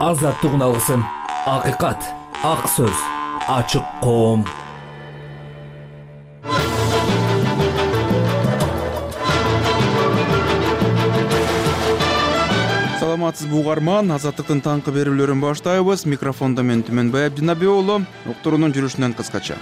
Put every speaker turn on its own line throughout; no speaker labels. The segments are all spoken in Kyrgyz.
азаттыгын алгысың. Акыйкат, ак сөз, ачык коом.
Саламатсызбы угарман, азаттыктын таңкы берүүлөрүн баштайбыз. Микрофондо мен Түмөнбай Абдинабий уулу. Уктуруунун жүрүшүнөн кыскача.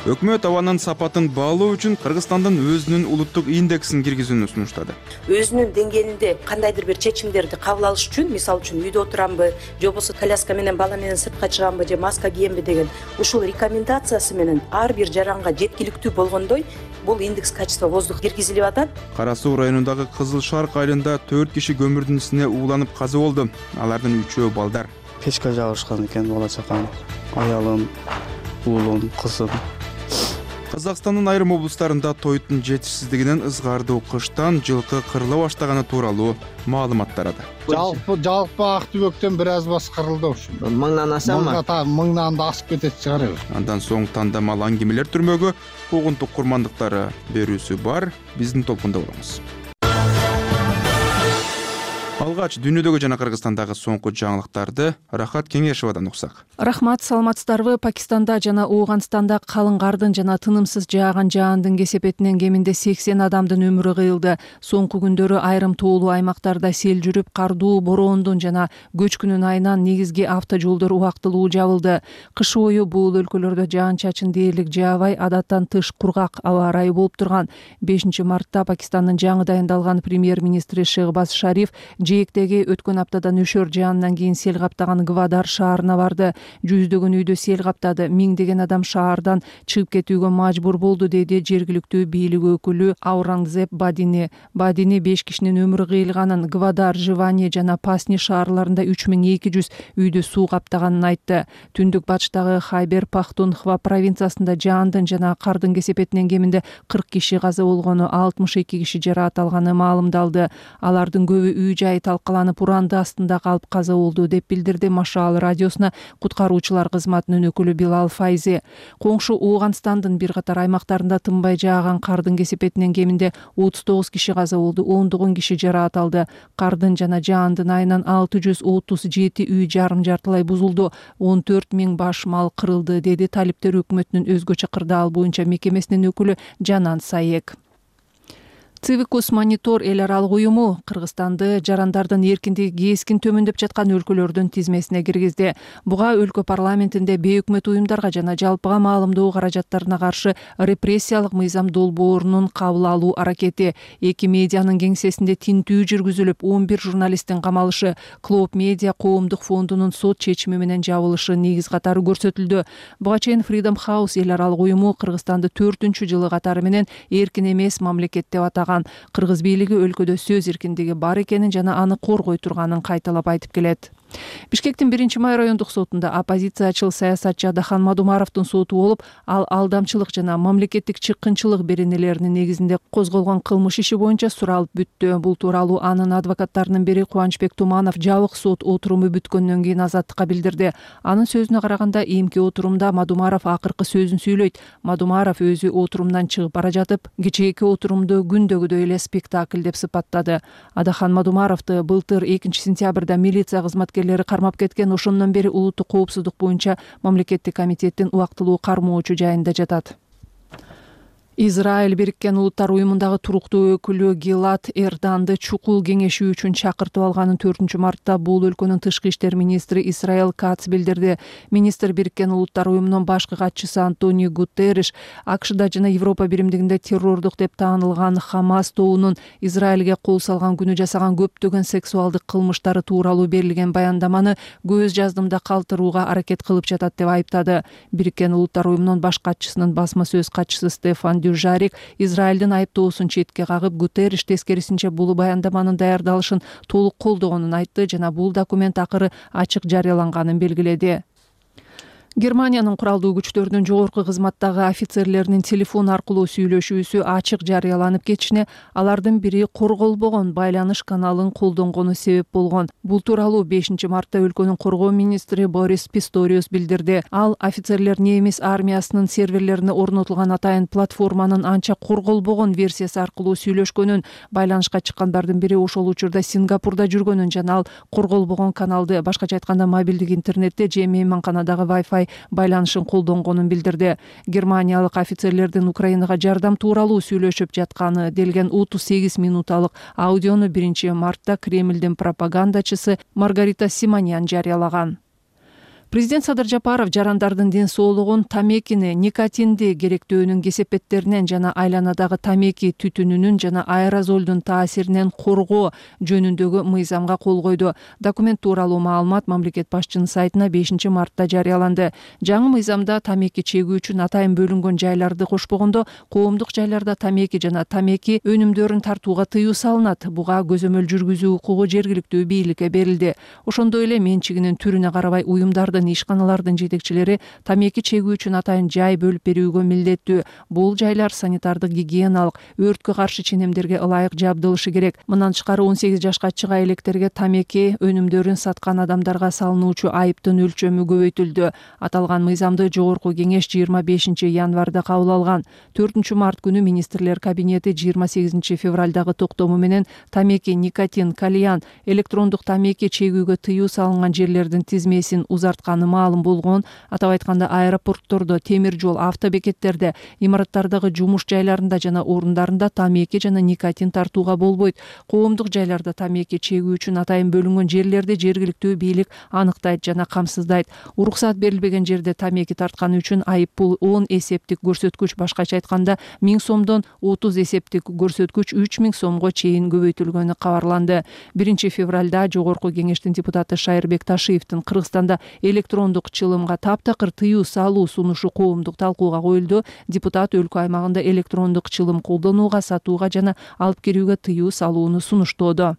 Өкмөт абанын сапатын баалоо үчүн Кыргызстандын өзүнүн улуттук индексин киргизүүнү сунуштады.
Өзүнүн деңгээлинде кандайдыр бир чечимдерди кабыл алыш үчүн, мисалы үчүн үйдө отурамбы, же болбосо коляска менен бала менен сыртка чыгамбы, же маска киемби деген ушул рекомендациясы менен ар бир жаранга жеткиликтүү болгондой бул индекс качества воздуха киргизилип атат. Кара
Суу районундагы Кызыл Шарк айылында 4 киши көмүрдүн ичине ууланып каза болду. Алардын 3-өө балдар.
Печка жагышкан экен, бала чакам, аялым, уулум, кызым.
Казакстандын айрым облустарында тоюттун жетишсиздигинен ызгардуу кыштан жылкы кырыла баштаганы тууралуу маалымат тарады.
Жалпы Актүбөктөн бир аз бас кырылды ушу.
Мыңнан ашамы?
Мыңнан да ашып кетет чыгар.
Андан соң тандамал аңгемелер түрмөгү куугунтук курмандыктары берүүсү бар. Биздин толкунда болуңуз. Алгач дүйнөдөгү жана Кыргызстандагы соңку жаңылыктарды Рахат Кеңешевадан уксак.
Рахмат, саламатсыздарбы? Пакистанда жана Ооганстанда калың кардын жана тынымсыз жааган жаандын кесепетинен кеминде 80 адамдын өмүрү кыйылды. Соңку күндөрү айрым тоолуу аймактарда сел жүрүп, кардуу бороондун жана көчкүнүн айынан негизги автожолдор убактылуу жабылды. Кыш бою бул өлкөлөрдө жаан-чачын дээрлик жаабай, адаттан тыш кургак аба ырайы болуп турган. 5 мартта Пакистандын жаңы дайындалган премьер-министри Шехбаз Шариф жээктеги өткөн аптадан өшөр жаандан кийин сел каптаган Гвадар шаарына барды. Жүздөгөн үйдө сел каптады. Миңдеген адам шаардан чыгып кетүүгө мажбур болду, деди жергиликтүү бийлик өкүлү Аурангзеб Бадини. Бадини 5 кишинин өмүрү кыйылганын, Гвадар, Живани жана Пасни шаарларында 3200 үйдү суу каптаганын айтты. Түндүк батыштагы Хайбер Пахтунхва провинциясында жаандын жана кардын кесепетинен кеминде 40 киши каза болгону, 62 киши жараат алганы маалымдалды. Алардын көбү үй жай талкаланып, уранды астында калып каза болду, деп билдирди Машаал радиосуна куткаруучулар кызматынын өкүлү Билал Файзи. Коңшу Ооганстандын бир катар аймактарында тынбай жааган кардын кесепетинен кеминде 39 киши каза болду, 19 киши жараат алды. Кардын жана жаандын айынан 637 үй жарым-жартылай бузулду, 14 000 баш мал кырылды, деди Талиптер өкмөтүнүн өзгөчө кырдаал боюнча мекемесинин өкүлү Жанан Саек. Цивикус Монитор эл аралык уюму Кыргызстанды жарандардын эркиндиги кескин төмөндөп жаткан өлкөлөрдүн тизмесине киргизди. Буга өлкө парламентинде бейөкмөт уюмдарга жана жалпыга маалымдоо каражаттарына каршы репрессиялык мыйзам долбоорунун кабыл алуу аракети, эки медианын кеңсесинде тинтүү жүргүзүлүп, 11 журналисттин камалышы, Клоп Медиа коомдук фондунун сот чечими менен жабылышы негиз катары көрсөтүлдү. Буга чейин Freedom House эл аралык уюму Кыргызстанды 4-жылы катары менен эркин эмес мамлекет деп атаган. Кыргыз бийлиги өлкөдө сөз эркиндиги бар экенин жана аны коргой турганын кайталап айтып келет. Бишкектин 1-май райондук сотунда оппозициячыл саясатчы Адахан Мадумаровдун соту болуп, ал алдамчылык жана мамлекеттик чыккынчылык беренелеринин негизинде козголгон кылмыш иши боюнча суралып бүттү. Бул тууралуу анын адвокаттарынын бири Кубанычбек Туманов жабык сот отуруму бүткөндөн кийин Азаттыкка билдирди. Анын сөзүнө караганда, ийимки отурумда Мадумаров акыркы сөзүн сүйлөйт. Мадумаров өзү отурумдан чыгып бара жатып, кечээки отурумду күндөгүдөй эле спектакль деп сыпаттады. Адахан Мадумаровду былтыр 2-сентябрда милиция кызматкерлери кармап кеткен. Ошондон бери улуттук коопсуздук боюнча мамлекеттик комитеттин убактылуу кармоочу жайында жатат. Израиль Бириккен Улуттар уюмундагы туруктуу өкүлү Гилад Эрданды чукул кеңешүү үчүн чакыртып алганын 4-мартта бул өлкөнүн тышкы иштер министри Исраэль Кац билдирди. Министр Бириккен Улуттар уюмунун башкы катчысы Антонио Гутерриш АКШда жана Европа биримдигинде террордук деп таанылган Хамас тобунун Израилге кол салган күнү жасаган көптөгөн сексуалдык кылмыштары тууралуу берилген баяндаманы көз жаздымда калтырууга аракет кылып жатат деп айыптады. Бириккен Улуттар уюмунун баш катчысынын басма сөз катчысы Стефан Жарик Израилдин айыптоосун четке кагып, Гутерриш тескерисинче бул баяндаманын даярдалышын толук колдогонун айтты жана бул документ акыры ачык жарыяланганын белгиледи. Германиянын куралдуу күчтөрүнүн жогорку кызматтагы офицерлеринин телефон аркылуу сүйлөшүүсү ачык жарыяланып кетишине алардын бири корголбогон байланыш каналын колдонгону себеп болгон. Бул тууралуу 5 мартта өлкөнүн коргоо министри Борис Писториус билдирди. Ал офицерлер немис армиясынын серверлерине орнотулган атайын платформанын анча корголбогон версиясы аркылуу сүйлөшкөнүн, байланышка чыккандардын бири ошол учурда Сингапурда жүргөнүн жана ал корголбогон каналды, башкача айтканда мобилдик интернетте же мейманканадагы Wi-Fi байланышын колдонгонун билдирди. Германиялык офицерлердин Украинага жардам тууралуу сүйлөшүп жатканы делген 38 минуталык аудиону 1 мартта Кремлдин пропагандачысы Маргарита Симонян жарыялаган. Президент Садыр Жапаров жарандардын ден соолугун тамекини, никотинди керектөөнүн кесепеттеринен жана айланадагы тамеки түтүнүнүн жана аэрозолдун таасиринен коргоо жөнүндөгү мыйзамга кол койду. Документ тууралуу маалымат мамлекет башчынын сайтына 5 мартта жарыяланды. Жаңы мыйзамда тамеки чегүү үчүн атайын бөлүнгөн жайларды кошпогондо, коомдук жайларда тамеки жана тамеки өнүмдөрүн тартууга тыюу салынат. Буга көзөмөл жүргүзүү укугу жергиликтүү бийликке берилди. Ошондой эле менчигинин түрүнө карабай уюмдардын, ишканалардын жетекчилери тамеки чегүү үчүн атайын жай бөлүп берүүгө милдеттүү. Бул жайлар санитардык, гигиеналык, өрткө каршы ченемдерге ылайык жабдылышы керек. Мындан тышкары 18 жашка чыга электерге тамеки өнүмдөрүн саткан адамдарга салынуучу айыптын өлчөмү көбөйтүлдү. Аталган мыйзамды жогорку кеңеш 25 январда кабыл алган. 4 март күнү министрлер кабинети 28 февралдагы токтому менен тамеки, никотин, кальян, электрондук тамеки чегүүгө тыюу салынган жерлердин тизмесин узартканы маалым болгон. Атап айтканда, аэропорттордо, темир жол, автобекеттерде, имараттардагы жумуш жайларында жана орундарында тамеки жана никотин тартууга болбойт. Коомдук жайларда тамеки чегүү үчүн атайын бөлүнгөн жерлерди жергиликтүү бийлик аныктайт жана камсыздайт. Уруксаат берилбеген жерде тамеки тартканы үчүн айып пул 10 эсептик көрсөткүч, башкача айтканда 1000 сомдон 30 эсептик көрсөткүч 3000 сомго чейин көбөйтүлгөнү кабарланды. 1 февралда жогорку кеңештин депутаты Шайырбек Ташиевдин Кыргызстанда электрондук чылымга таптакыр тыюу салуу сунушу коомдук талкууга коюлду. Депутат өлкө аймагында электрондук чылым колдонууга, сатууга жана алып кирүүгө тыюу салууну сунуштоодо.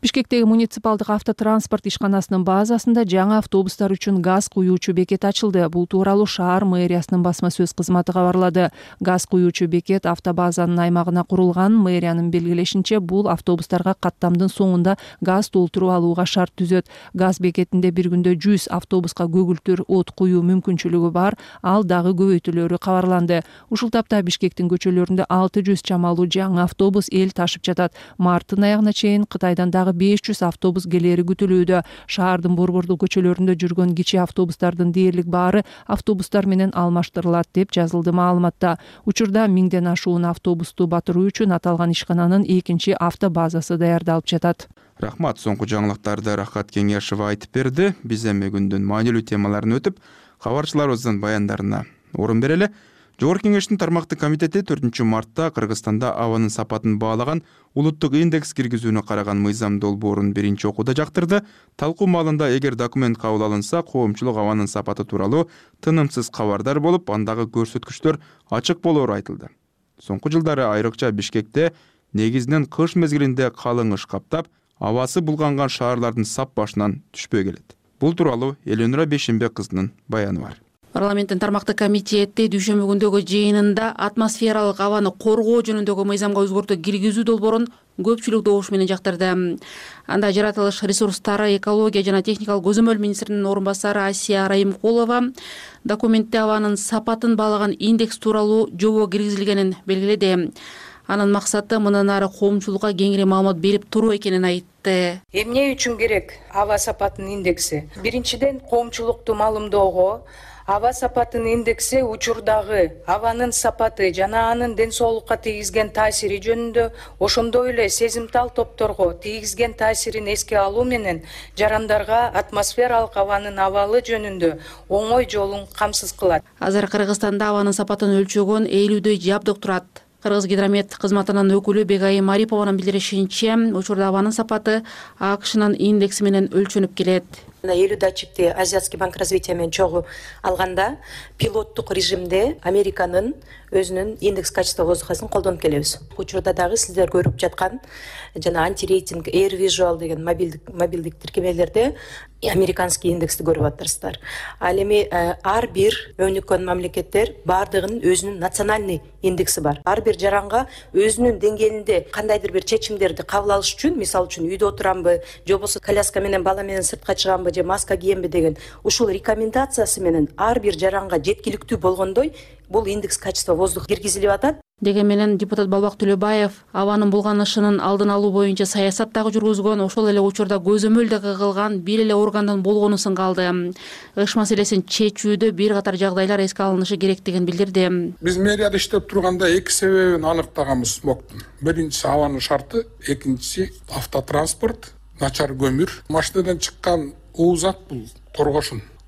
Бишкектеги муниципалдык автотранспорт ишканасынын базасында жаңы автобустар үчүн газ куюучу бекет ачылды. Бул тууралуу шаар мэриясынын басма сөз кызматы кабарлады. Газ куюучу бекет автобазанын аймагына курулган. Мэриянын белгилешинче, бул автобустарга каттамдын соңунда газ толтуруп алууга шарт түзөт. Газ бекетинде бир күндө 100 автобуска көгүлтүр от куюу мүмкүнчүлүгү бар. Ал дагы көбөйтүлөрү кабарланды. Ушул тапта Бишкектин көчөлөрүндө 600 чамалуу жаңы автобус эл ташып жатат. Марттын аягына чейин Кытайдан 500 автобус келери күтүлүүдө. Шаардын борбордук көчөлөрүндө жүргөн кичи автобустардын дээрлик баары автобустар менен алмаштырылат деп жазылды маалыматта. Учурда 1000ден ашуун автобусту батыруу үчүн аталган ишкананын 2 автобазасы даярдалып жатат.
Рахмат, соңку жаңылыктарды Рахат Кеңешова айтып берди. Биз эми күндүн маанилүү темаларын өтүп, кабарчыларыбыздын баяндарына орун берели. Жогорку кеңештин тармактык комитети 4 мартта Кыргызстанда абанын сапатын баалаган улуттук индекс киргизүүнү караган мыйзам долбоорун 1-окууда жактырды. Талкуу маалында эгер документ кабыл алынса, коомчулук абанын сапаты тууралуу тынымсыз кабардар болуп, андагы көрсөткүчтөр ачык болоору айтылды. Соңку жылдары айрыкча Бишкекте негизинен кыш мезгилинде калың ыш каптап, абасы булганган шаарлардын сап башынан түшпөй келет. Бул тууралуу Эленура Бешенбек кызынын баяны бар.
Парламенттин тармактык комитети дүйшөмбү күндөгү жыйынында атмосфералык абаны коргоо жөнүндөгү мыйзамга өзгөртүү киргизүү долбоорун көпчүлүк добуш менен жактырды. Анда жаратылыш ресурстары, экология жана техникалык көзөмөл министринин орун басары Асия Райымкулова документте абанын сапатын баалаган индекс тууралуу жобо киргизилгенин белгиледи. Анын максаты мындан ары коомчулукка кеңири маалымат берип туруу экенин айтты.
Эмне үчүн керек аба сапатынын индекси? Биринчиден, коомчулукту маалымоого аба сапатынын индекси учурдагы абанын сапаты жана анын ден соолукка тийгизген таасири жөнүндө, ошондой эле сезимтал топторго тийгизген таасирин эске алуу менен жарандарга атмосфералык абанын абалы жөнүндө оңой жолун камсыз кылат.
Азыр Кыргызстанда абанын сапатын өлчөгөн 50дөй жабдык турат. Кыргыз гидромет кызматынын өкүлү Бегайым Арипованын билдиришинче, учурда абанын сапаты АКШнын индекси менен өлчөнүп келет.
Мына 50 датчикти Азиатский банк развития менен чогуу алганда пилоттук режимде Американын өзүнүн индекс качества воздуха колдонуп келебиз. Учурда дагы сиздер көрүп жаткан жана антирейтинг Air Visual деген мобилдик тиркемелерде американский индексти көрүп атасыздар. Ал эми ар бир өнүккөн мамлекеттер баардыгынын өзүнүн национальный индекси бар. Ар бир жаранга өзүнүн деңгээлинде кандайдыр бир чечимдерди кабыл алыш үчүн, мисалы үчүн үйдө отурамбы, же болбосо коляска менен бала менен сыртка чыгамбы, же маска киемби деген ушул рекомендациясы менен ар бир жаранга жеткиликтүү болгондой бул индекс качества воздуха киргизилип атат.
Деген менен депутат Балбак Төлөбаев абанын булганышынын алдын алуу боюнча саясат дагы жүргүзгөн, ошол эле учурда көзөмөл да кылган бир эле органдын болгону сынга алды. Ыш маселесин чечүүдө бир катар жагдайлар эске алынышы керектигин билдирди.
Биз мэрияда иштеп турганда эки себебин аныктаганбыз смогтун. Биринчиси абанын шарты, экинчиси автотранспорт, начар көмүр. Машинадан чыккан уузат бул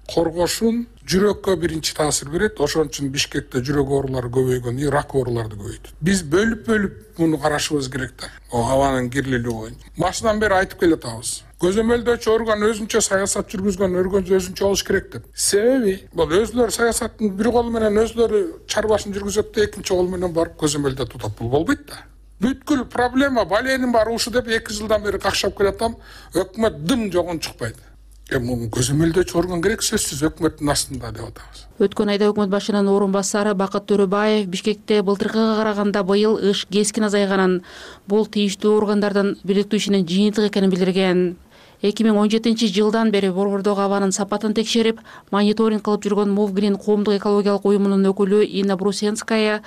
коргошун жүрөккө биринчи таасир берет. Ошон үчүн Бишкекте жүрөк оорулары көбөйгөн, рак ооруларды көбөйтөт. Биз бөлүп муну карашыбыз керек да. Абанын кирилүүлүгү боюнча. Башынан бери айтып келатабыз. Көзөмөлдөөчү орган өзүнчө саясат жүргүзгөн өргөн өзүнчө болуш керек деп. Себеби бул өзүлөр саясаттын бир колу менен өзүлөрү чарбашын жүргүзөт да, экинчи колу менен барып көзөмөлдө тутат. Бул болбойт да. Бүткүл проблема баленин баары ушу деп 2 жылдан бери какшап келатам. Өкмөт дым жогон чыкпайт. Муну көзөмөлдөөчү орган керек, сөзсүз өкмөттүн астында деп атабыз.
Өткөн айда өкмөт башчынын орун басары Бакыт Төрөбаев Бишкекте былтыркыга караганда быйыл ыш кескин азайганын, бул тийиштүү органдардын бийликтүү ишинин жыйынтыгы экенин билдирген. 2017 жылдан бери Борбордогу абанын сапатын текшерип, мониторинг кылып жүргөн Мовгрин коомдук экологиялык уюмунун өкүлү Инна Брусенская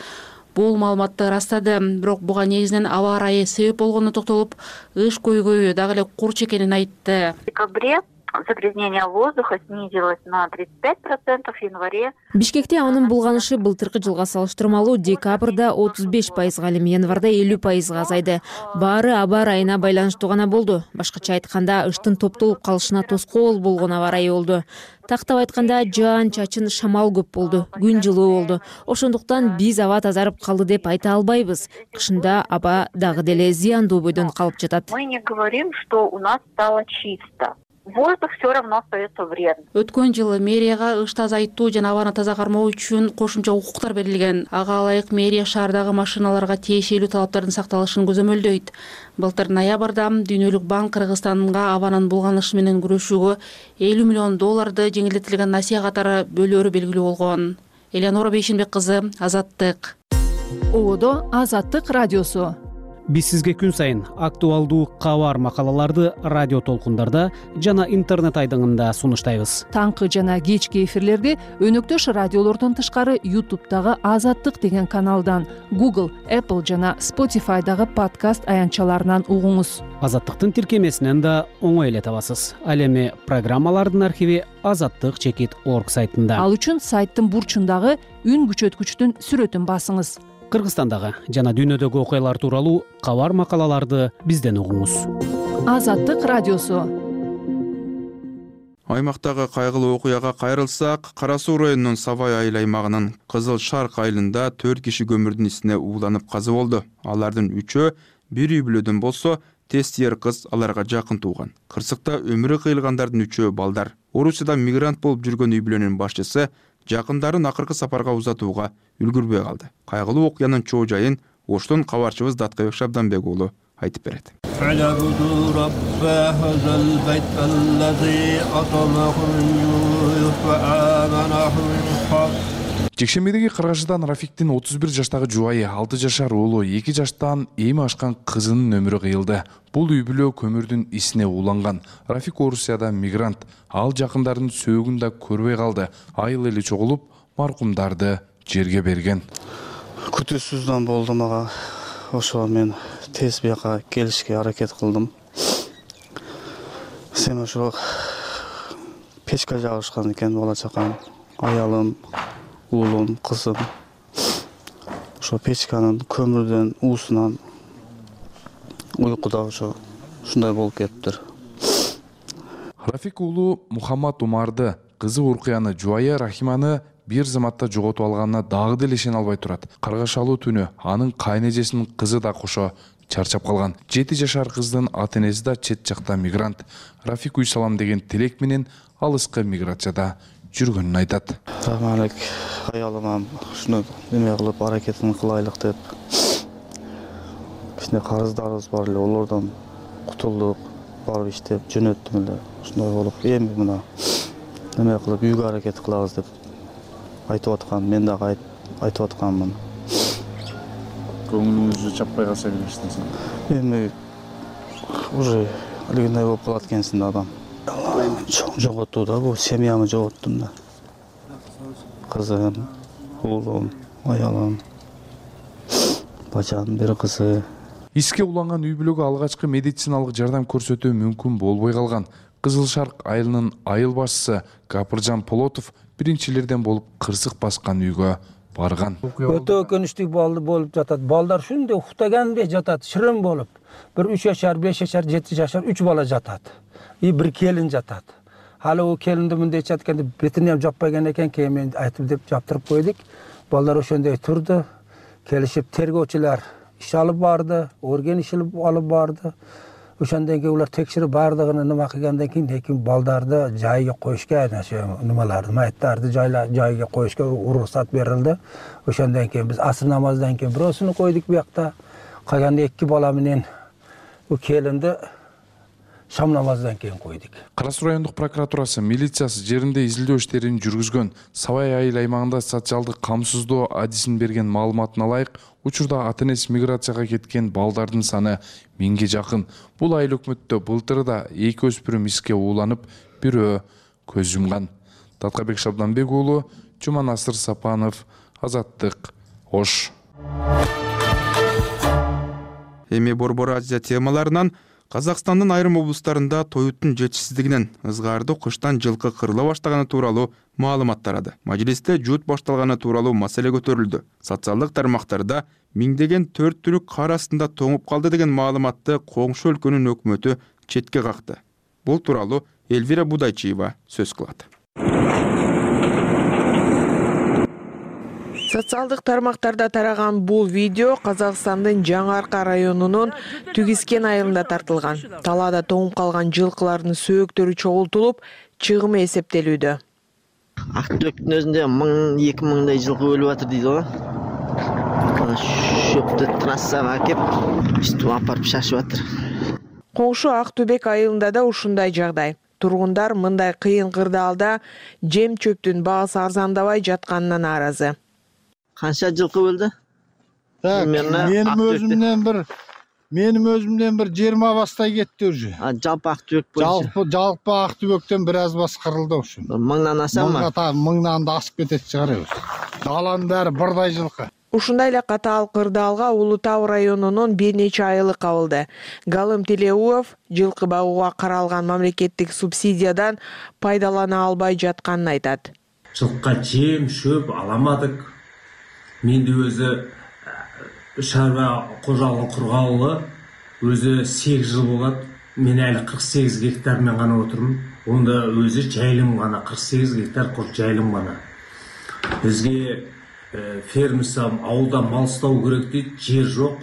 бул маалыматты ырастады. Бирок буга негизинен аба ырайы себеп болгонуна токтолуп, ыш көйгөйү дагы эле курч экенин айтты.
В декабре загрязнение воздуха снизилось на 35%, в январе.
Бишкекте анын булганышы былтыркы жылга салыштырмалуу декабрда 35%, ал эми январда 50% азайды. Баары аба ырайына байланыштуу гана болду. Башкача айтканда, ыштын топтолуп калышына тоскоол болгон аба ырайы болду. Тактап айтканда, жаан чачын, шамал көп болду, күн жылуу болду. Ошондуктан биз аба тазарып калды деп айта албайбыз. Кышында аба дагы деле зыяндуу бойдон калып жатат.
Мы не говорим, что у нас стало чисто. Воздух все равно остается вредным.
Өткөн жылы мэрияга ышты азайтуу жана абаны таза кармоо үчүн кошумча укуктар берилген. Ага ылайык мэрия шаардагы машиналарга тиешелүү талаптардын сакталышын көзөмөлдөйт. Былтыр ноябрда Дүйнөлүк банк Кыргызстанга абанын булганышы менен күрөшүүгө $50 миллион жеңилдетилген насыя катары бөлөөрү белгилүү болгон. Элеонора Бейшенбек кызы, Азаттык.
Одо Азаттык радиосу.
Биз сизге күн сайын актуалдуу кабар макалаларды радио толкундарда жана интернет айдыңында сунуштайбыз.
Таңкы жана кечки эфирлерди өнөктөш радиолордон тышкары YouTube'дагы Азаттык деген каналдан, Google, Apple жана Spotify'дагы подкаст аянтчаларынан угуңуз.
Азаттыктын тиркемесинен да оңой эле табасыз. Ал эми программалардын архиви azattik.org сайтында.
Ал үчүн сайттын бурчундагы үн күчөткүчтүн сүрөтүн басыңыз.
Кыргызстандагы жана дүйнөдөгү окуялар тууралуу кабар макалаларды бизден угуңуз.
Азаттык радиосу.
Аймактагы кайгылуу окуяга кайрылсак, Кара Суу районунун Сабай айыл аймагынын Кызыл Шарк айылында 4 киши көмүрдүн исине ууланып каза болду. Алардын 3-өө бир үй бүлөдөн болсо, тестиер кыз аларга жакын тууган. Кырсыкта өмүрү кыйылгандардын 3-өө балдар. Орусияда мигрант болуп жүргөн үй бүлөнүн башчысы жакындарын акыркы сапарга узатууга үлгүрбөй калды. Кайгылуу окуянын чоо жайын Оштон кабарчыбыз Даткыбек Шабданбек уулу айтып берет.
Жекшембидеги Кыргызстан Рафиктин 31 жаштагы жубайы, 6 жашар уулу, 2 жаштан эми ашкан кызынын өмүрү кыйылды. Бул үй бүлө көмүрдүн исине ууланган. Рафик Орусияда мигрант. Ал жакындарын сөөгүн да көрбөй калды. Айыл эли чогулуп, маркумдарды жерге берген.
Күтүүсүздөн болду мага. Ошо мен тез бияка келишке аракет кылдым. Сен ошо печка жагышкан экен, бала чакам, аялым, уулум, кызым. Ошо печканын көмүрдөн уусунан уйкуда ошо ушундай болуп кетиптир.
Рафик уулу Мухаммад Умарды, кызы Уркуяны, жубайы Рахиманы бир заматта жоготуп алганына дагы деле ишене албай турат. Каргашалуу түнү анын кайнэжесинин кызы да кошо чарчап калган. 7 жашар кыздын ата-энеси да чет жакта мигрант. Рафик үй салам деген тилек менен алыскы миграцияда жүргөнүн айтат.
Рамалек аялымам ушуну неме кылып аракетин кылайлык деп. Кичине карыздарыбыз бар эле, олордон кутулдук, барып иштеп жөнөттүм эле. Ушундай болуп, эми мына неме кылып үйгө аракет кылабыз деп айтып аткан, мен дагы айтып атканмын.
Көңүлүңүздү чаппай калса келиштин.
Эми уже алгындай болуп калат экенсиң да адам. Жоготту да, бул семьямы жоготтум да. Кызым, уулум, аялым, бачам, бир кызы.
Иске уланган үй бүлөгө алгачкы медициналык жардам көрсөтүү мүмкүн болбой калган. Кызыл Шарк айылынын айыл башчысы Капыржан Полотов биринчилерден болуп кырсык баскан үйгө барган.
Өтө өкүнүчтүү болуп жатат. Балдар ушундай уктагандай жатат, шырын болуп. Бир 3 жашар, 5 жашар, 7 жашар 3 бала жатат. И бир келин жатат. Хали о келинди мындай жатканда бетине жаппаган экен, кийин мен айтып деп жаптырып койдук. Балдар ошондой турду. Келишип тергөөчүлөр иш алып барды, орген иш алып барды. Ошондон кийин улар текширип бардыгын нема кылгандан кийин балдарды жайга коюшка, немаларды, майыттарды жайга коюшка уруксат берилди. Ошондон кийин биз асыр намаздан кийин бирөөсүнү койдук буякта. Калган 2 бала менен у келинди шам намаздан кийин койдук.
Кара Суу райондук прокуратурасы милициясы жеринде изилдөө иштерин жүргүзгөн. Сабай айыл аймагында социалдык камсыздоо адисин берген маалыматына ылайык, учурда ата-энеси миграцияга кеткен балдардын саны 1000ге жакын. Бул айыл өкмөттө былтыр да 2 өспүрүм иске ууланып, бирөө көз жумган. Таткабек Шабданбек уулу, Жуманасыр Сапанов, Азаттык, Ош.
Эми Борбор Азия темаларынан Казакстандын айрым облустарында тоюттун жетишсиздигинен ызгаардуу кыштан жылкы кырыла баштаганы тууралуу маалымат тарады. Мажлисте жуут башталганы тууралуу маселе көтөрүлдү. Социалдык тармактарда миңдеген 4 түлүк кар астында тоңуп калды деген маалыматты коңшу өлкөнүн өкмөтү четке какты. Бул тууралуу Элвира Будайчиева сөз кылат.
Социалдык тармактарда тараган бул видео Казакстандын Жаңы Арка районунун Түгискен айылында тартылган. Талаада тоңуп калган жылкылардын сөөктөрү чогултулуп, чыгымы эсептелүүдө.
Актүбектин өзүндө 1000-2000 мыңдай жылкы өлүп атыр дейт го. Шөптү трассага акеп, үстү апарып шашып атыр.
Коңшу Актүбек айылында да ушундай жагдай. Тургундар мындай кыйын кырдаалда жем чөптүн баасы арзандабай жатканына нааразы.
Канча жылкы өлдү?
Менин өзүмдөн бир 20 бастай кетти уже.
Жалпы Актүбек боюнча.
Жалпы Актүбектен бир аз бас кырылды ушу.
1000дан ашамы?
1000dan да ашып кетет чыгар. Даланын баары бирдай жылкы.
Ушундай эле катаал кырдаалга Улуу Тау районунун бир нече айылы кабылды. Галым Телеуов жылкы багууга каралган мамлекеттик субсидиядан пайдалана албай жатканын айтат.
Жылкка жем, шөп аламадык. Менде өзү шаруа кожалыгын кургалы өзү 8 жыл болот. Мен әлі 48 гектармен гана отурмун. Онда өзү жайылым гана 48 гектар жайылым гана. Бизге фермасам ауылда мал ұстау керек дейт, жер жок.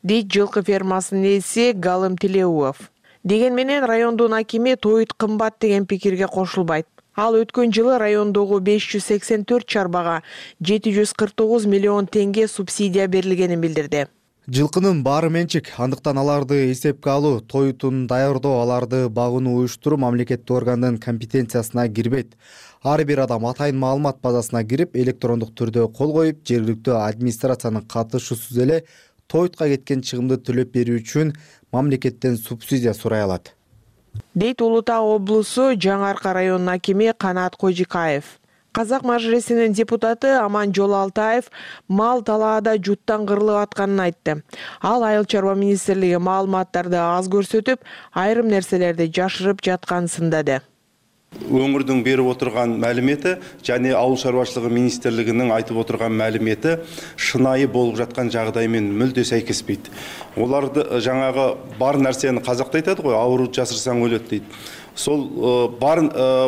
Дейт жылкы фермасынын ээси Галым Телеуов. Деген менен райондун акими тоют кымбат деген пикирге кошулбайт. Ал өткөн жылы райондогу 584 чарбага 749 миллион тенге субсидия берилгенин билдирди.
Жылкынын баары менчик, андыктан аларды эсепке алуу, тоютун даярдоо, аларды багууну уюштуруу мамлекеттик органдын компетенциясына кирбейт. Ар бир адам атайын маалымат базасына кирип, электрондук түрдө кол коюп, жергиликтүү администрациянын катышуусуз эле тоютка кеткен чыгымды төлөп берүү үчүн мамлекеттен субсидия сурай алат.
Дейт Улуу Тау облусу Жаңы Арка районунун акими Канат Кожикаев. Казак мажлисинин депутаты Аманжол Алтаев мал талаада жуттан кырылып атканын айтты. Ал айыл чарба министрлиги маалыматтарды аз көрсөтүп, айрым нерселерди жашырып жатканын сындады.
Өңүрдүн берип отурган маалимети жана Ауыл шаруашылыгы министрлигинин айтып отурган маалимети шынайы болуп жаткан жагдай менен мүлдө сайкеспейт. Оларды жаңагы бар нерсени казакта айтат го, ауру жасырсаң өлөт дейт. Сол бар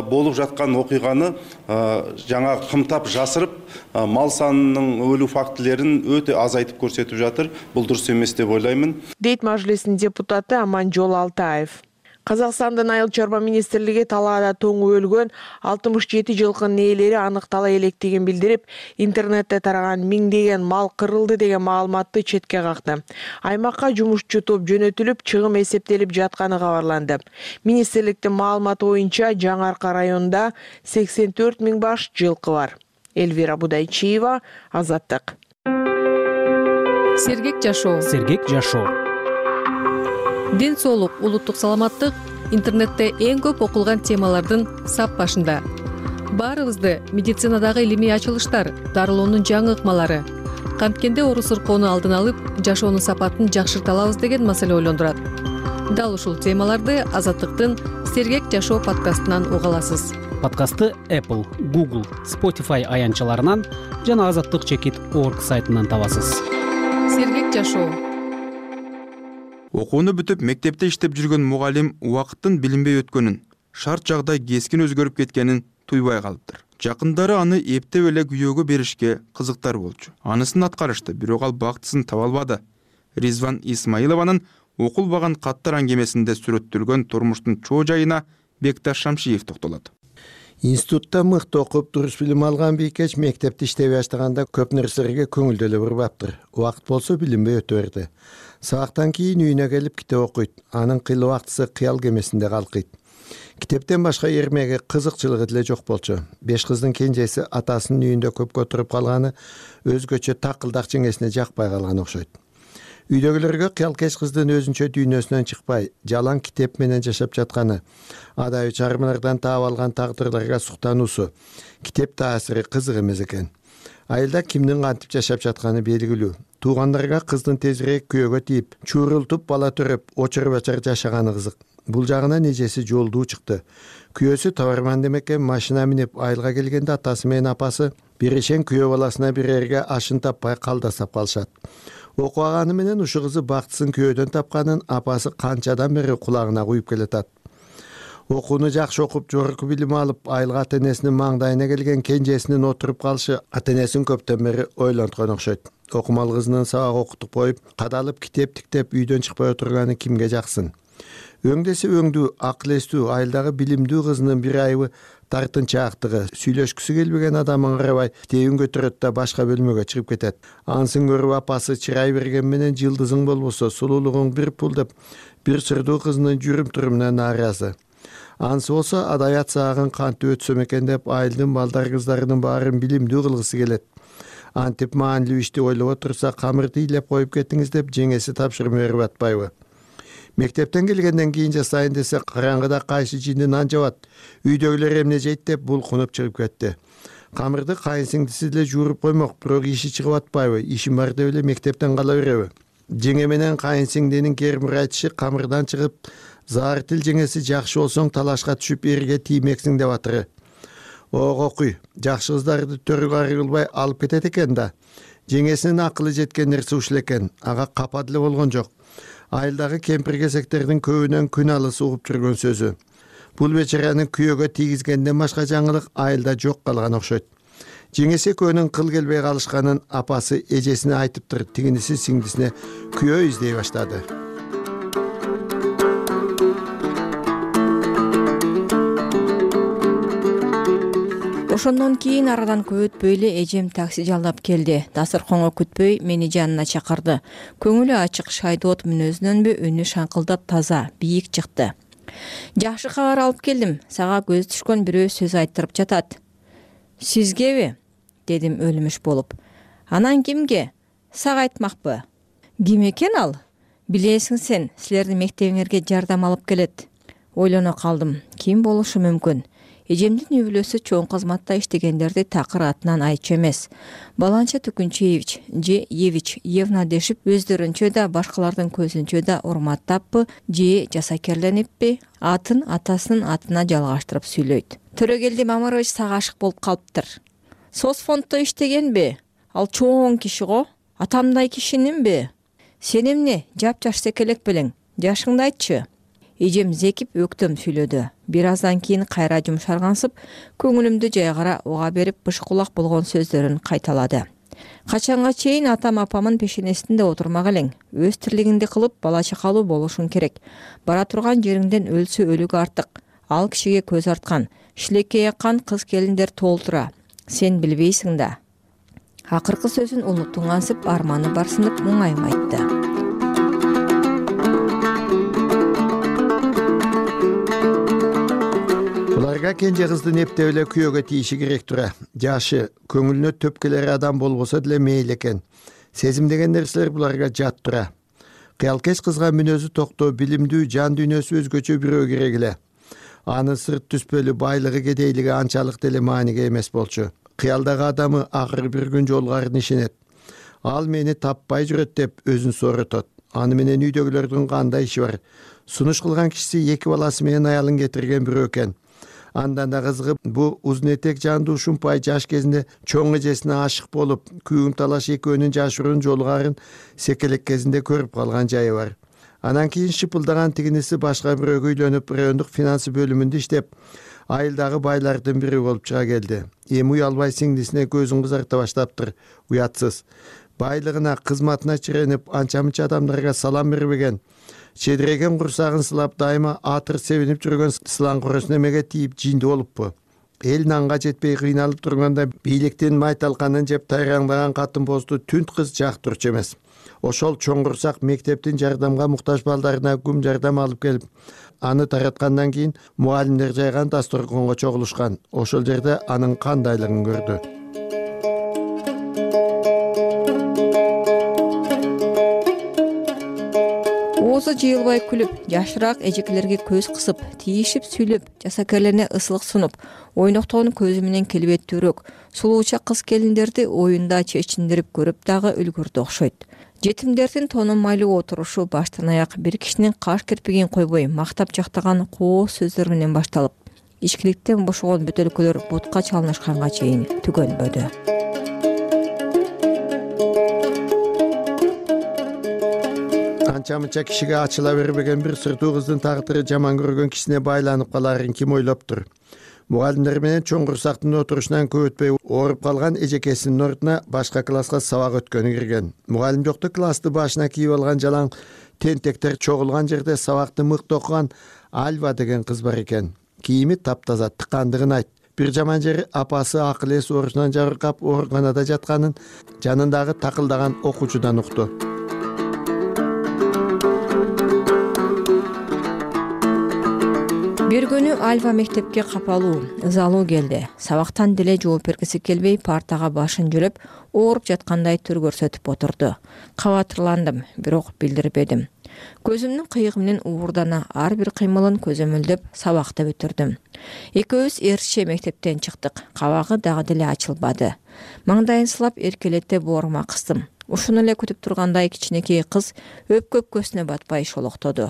болуп жаткан окуйганы жаңа кымтап жасырып мал санынын өлүү фактылерин өтө азайтып көрсөтүп жатыр. Бул дурус эмес деп ойлоймун,
дейт Мажлистин депутаты Аманжол Алтаев. Казакстандын Айыл чарба министрлиги талаада тоңу өлгөн 67 жылкынын ээлери аныктала электигин билдирип, интернетте тараган миңдеген мал кырылды деген маалыматты четке какты. Аймакка жумушчу топ жөнөтүлүп, чыгым эсептелип жатканы кабарланды. Министрликтин маалыматы боюнча Жаңы Арка районунда 84 000 баш жылкы бар. Элвира Будайчиева, Азаттык.
Сергек жашоо. Ден соолук, улуттук саламаттык интернетте эң көп окулган темалардын сап башында. Баарыбызды медицинадагы илимий ачылыштар, дарылоонун жаңы ыкмалары, канткенде оору сыркоону алдын алып, жашоонун сапатын жакшырта алабыз деген маселе ойлондурат. Дал ушул темаларды Азаттыктын Сергек жашоо подкастынан уга аласыз.
Подкастты Apple, Google, Spotify аянтчаларынан жана azattyk.org сайтынан табасыз.
Сергек жашоо.
Окууну бүтүп мектепте иштеп жүргөн мугалим убакыттын билинбей өткөнүн, шарт жагдай кескин өзгөрүп кеткенин туйбай калыптыр. Жакындары аны эптеп эле күйөөгө беришке кызыктар болчу. Анысын аткарышты, бирок ал бактысын таба албады. Ризван Исмаилованын окулбаган каттар аңгемесинде сүрөттөлгөн турмуштун чоо жайына Бекташ Шамшиев токтолот.
Институтта мыкты окуп, туруш билим алган бийкеч мектепте иштей баштаганда көп нерселерге көңүлдө эле бурбаптыр. Убакыт болсо билинбей өтө берди. Саактан кийин үйүнө келип китеп окуйт. Анын кыйла убактысы кыял кемесинде калкыйт. Китептен башка эрмеге кызыкчылыгы деле жок болчу. 5 кыздын кенжеси атасынын үйүндө көпкө туруп калганы өзгөчө такылдак жеңесине жакпай калган окшойт. Үйдөгүлөргө кыялкеч кыздын өзүнчө дүйнөсүнөн чыкпай, жалаң китеп менен жашап жатканы, адайы чыгармалардан таап алган тагдырларга суктануусу, китеп таасири кызык эмес экен. Айылда кимдин кантип жашап жатканы белгилүү. Туугандарга кыздын тезирээк күйөөгө тийип, чуурултуп бала төрөп, очор-бачар жашаганы кызык. Бул жагынан эжеси жолдуу чыкты. Күйөөсү табарман демекке машина минип айылга келгенде атасы менен апасы бирешен күйөө баласына берерге ашын таппай калдасап калышат. Окуганы менен ушу кызы бактысын күйөөдөн тапканын апасы канчадан бери кулагына куюп келатат. Окууну жакшы окуп, жогорку билим алып, айылга ата-энесинин маңдайына келген кенжесинин отуруп калышы ата-энесин көптөн бери ойлонткон окшойт. Окумал кызынын сабак окутуп коюп, кадалып китеп тиктеп үйдөн чыкпай отурганы кимге жаксын? Өңдеси өңдүү, акыл эстүү, айылдагы билимдүү кызынын бир айыбы тартынчаактыгы, сүйлөшкүсү келбеген адамын карабай, китебин көтөрөт да башка бөлмөгө чыгып кетет. Ансын көрүп апасы чырай берген менен жылдызың болбосо сулуулугуң бир пул деп, бир сырдуу кызынын жүрүм-турумуна нааразы. Ансы болсо адаят саагын кантип өтсөм экен деп айылдын балдар кыздарынын баарын билимдүү кылгысы келет. Антип маанилүү ишти ойлоп отурса, камырды ыйлап коюп кетиңиз деп жеңеси тапшырма берип атпайбы? Мектептен келгенден кийин жасайын десе, караңгыда кайсы жинди нан жабат, үйдөгүлөр эмне жейт деп булкунуп чыгып кетти. Камырды кайынсиңдиси деле жууруп коймок, бирок иши чыгып атпайбы, ишим бар деп эле мектептен кала береби? Жеңе менен кайынсиңдинин кермир айтышы камырдан чыгып, заар тил жеңеси жакшы болсоң талашка түшүп эрге тиймексиң деп атыры. Окуй, жакшы кыздарды төрүгө ары кылбай алып кетет экен да. Жеңесинин акылы жеткен нерсе ушул экен, ага капа деле болгон жок. Айылдагы кемпир-кесектердин көбүнөн күн алыс угуп жүргөн сөзү. Бул бечараны күйөөгө тийгизгенден башка жаңылык айылда жок калган окшойт. Жеңеси экөөнүн кыл келбей калышканын апасы эжесине айтыптыр, тигиниси сиңдисине күйөө издей баштады.
Ошондон кийин арадан көп өтпөй эле эжем такси жалдап келди. Дасырконго күтпөй мени жанына чакырды. Көңүлү ачык, шайдоот мүнөзүнөнбү үнү шаңкылдап таза, бийик чыкты. Жакшы кабар алып келдим. Сага көз түшкөн бирөө сөз айтырып жатат. Сизгеби? Дедим өлүмүш болуп. Анан кимге? Сага айтмакпы. Ким экен ал? Билесиң сен, силердин мектебиңерге жардам алып келет. Ойлоно калдым. Ким болушу мүмкүн? Эжемдин үй-бүлөсү чоң кызматта иштегендерди такыр атынан айтчу эмес. Баланча Түкүнчиевич же Евич, Евна дешип өздөрүнчө да башкалардын көзүнчө да урматтаппы же жасакерлениппи, атын атасынын атына жалгаштырып сүйлөйт. Төрөгелди Мамырович сага ашык болуп калыптыр. Соцфонддо иштегенби? Ал чоң киши го, атамдай кишининби? Сен эмне, жапжаш секелек белең? Жашыңды айтчы. Эжем зекип өктөм сүйлөдү. Бир аздан кийин кайра жумшаргансып, көңүлүмдү жайгара уга берип бышкулак болгон сөздөрүн кайталады. Качанга чейин атам апамын пешенесинде отурмак элең. Өз тирлигинди кылып бала чакалуу болушуң керек. Бара турган жериңден өлсө өлүк артык. Ал кишиге көз арткан, шилекке яккан кыз келиндер толтура. Сен билбейсиң да. Акыркы сөзүн улуу туңансып, арманы барсынып муңайып айтты.
Буларга кенже кыздын эптеп эле күйөөгө тийиши керек тура. Жашы, көңүлүнө төп келер адам болбосо деле мейли экен. Сезим деген нерселер буларга жат тура. Кыялкеч кызга мүнөзү токтоо, билимдүү, жан дүйнөсү өзгөчө бирөө керек эле. Анын сырт түспөлү, байлыгы, кедейлиги анчалык деле мааниге эмес болчу. Кыялдагы адамы акыры бир күн жолугарын ишенет. Ал мени таппай жүрөт деп өзүн сооротот. Аны менен үйдөгүлөрдүн кандай иши бар? Сунуш кылган кишиси эки баласы менен аялын кетирген бирөө экен. Андан да кызыгып, бу узун этек жанды ушунпай жаш кезинде чоң эжесине ашык болуп, күйүүң талаш экөөнүн жашыруун жолугарын секелек кезинде көрүп калган жайы бар. Анан кийин шыпылдаган тигиниси башка бирөөгө үйлөнүп, райондук финансы бөлүмүндө иштеп, айылдагы байлардын бири болуп чыга келди. Эми уялбай сиңдисине көзүн кызарта баштаптыр. Уятсыз. Байлыгына, кызматына чиренип, анча-мынча адамдарга салам бербеген, чедиреген курсагын сылап, дайыма атыр себинип жүргөн сылаңкөрөсүн эмеге тийип жинди болуппу. Эл нанга жетпей кыйналып турганда бийликтин майталканын жеп тайраңдаган катын бозду түнт кыз жактырчу эмес. Ошол чоң курсак мектептин жардамга муктаж балдарына күм жардам алып келип, аны тараткандан кийин мугалимдер жайган дасторконго чогулушкан. Ошол жерде анын кандайлыгын көрдү.
Оозу жыйылбай күлүп, жашыраак эжекелерге көз кысып, тийишип сүйлөп, жасакерлерине ысылык сунуп, ойноктогон көзү менен келбеттүүрөөк, сулууча кыз келиндерди оюнда чечиндирип көрүп дагы үлгүрдү окшойт. Жетимдердин тонун майлуу отурушу баштан аяк бир кишинин каш кирпигин койбой мактап жактаган коо сөздөр менен башталып, ичкиликтен бошогон бөтөлкөлөр бутка чалынышканга чейин түгөнбөдү.
Анча-мынча кишиге ачыла бербеген бир сыртуу кыздын тагдыры жаман көргөн кишине байланып каларын ким ойлоптур? Мугалимдер менен чоң курсактын отурушунан көп өтпөй ооруп калган эжекесинин ордуна башка класска сабак өткөнү кирген. Мугалим жокто классты башына кийип алган жалаң тентектер чогулган жерде сабакты мыкты окуган Альва деген кыз бар экен. Кийими таптаза, тыккандыгын айт. Бир жаман жери апасы акыл эс оорусунан жабыркап ооруканада жатканын жанындагы такылдаган окуучудан укту.
Бир күнү Альва мектепке капалуу, ызалуу келди. Сабактан деле жооп бергиси келбей, партага башын жүрөп, ооруп жаткандай түр көрсөтүп отурду. Кабатырландым, бирок билдирбедим. Көзүмдүн кыйыгы менен уурдана ар бир кыймылын көзөмөлдөп сабакты бүтүрдүм. Экөөбүз эрисче мектептен чыктык. Кабагы дагы деле ачылбады. Маңдайын сылап эркелете боорума кыстым. Ушуну эле күтүп тургандай кичинекей кыз өпкө-өпкөсүнө батпай шолоктоду.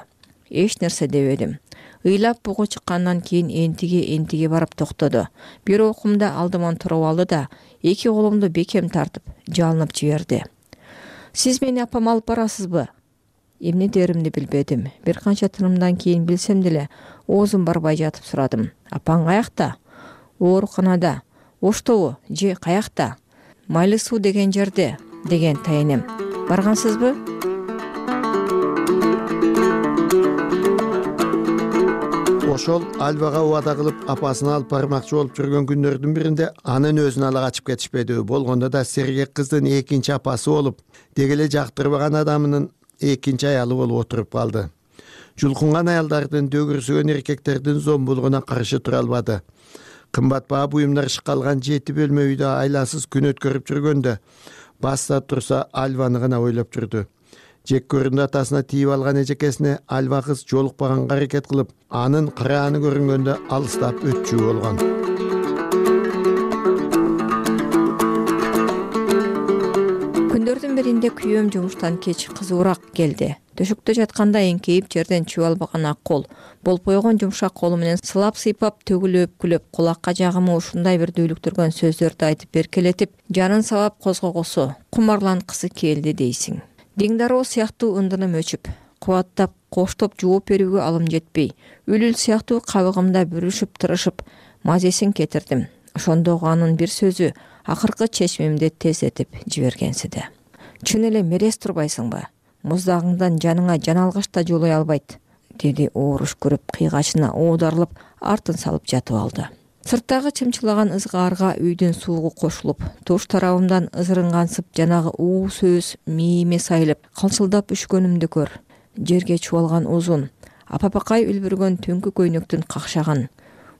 Эч нерсе дебедим. Ыйлап бугу чыккандан кийин энтиге барып токтоду. Бир окумда алдыман туруп алды да, эки колумду бекем тартып, жалынып жиберди. Сиз мени апам алып барасызбы? Эмне деримди билбедим. Бир канча тынымдан кийин билсем деле, оозум барбай жатып сурадым. Апаң каякта? Ооруканада. Оштобу? Же каякта? Майлы суу деген жерде, деген тайенем. Баргансызбы?
Ошол Альвага убада кылып апасына алып бармакчы болуп жүргөн күндөрдүн биринде анын өзүн ала качып кетишпеди. Болгондо да сергек кыздын экинчи апасы болуп, деги эле жактырбаган адамынын экинчи аялы болуп отуруп калды. Жулкунган аялдардын, дөгүрсөгөн эркектердин зомбулугуна каршы тура албады. Кымбат баа буюмдар шыкалган 7 бөлмө үйдө айласыз күн өткөрүп жүргөндө баста турса Альваны гана ойлоп жүрдү. Жек көрүндө атасына тийип алган эжекесине Альва кыз жолукпаганга аракет кылып, анын кырааны көрүнгөндө алыстап өтчү болгон.
Күндөрдүн биринде күйөөм жумуштан кеч кызуураак келди. Төшөктө жатканда эңкейип жерден чүп албаган ак кол, болпойгон жумшак колу менен сылап-сыйпап төгүлүп күлөп, кулакка жагымы ушундай бир дүүлүктүргөн сөздөрдү айтып беркелетип, жанын сабап козгогосу, кумарланткысы келди дейсиң. Деңдароо сыяктуу ындыным өчүп, кубаттап коштоп жооп берүүгө алым жетпей, үлүл сыяктуу кабыгымда бүрүшүп тырышып мазесин кетирдим. Ошондогу анын бир сөзү акыркы чечимимди тездетип жибергенсиди. Чын эле мерез турбайсыңбы? Муздагыңдан жаныңа жан алгыч да жолой албайт, деди ооруш көрүп кыйгачына оодарылып артын салып жатып алды. Сырттагы чымчылаган ызгаарга үйдүн суугу кошулуп, туш тарабымдан ызырынгансып жанагы уу сөз мээме сайылып, калчылдап үшкөнүмдү көр. Жерге чубалган узун, апапакай үлбүргөн түнкү көйнөктүн какшаган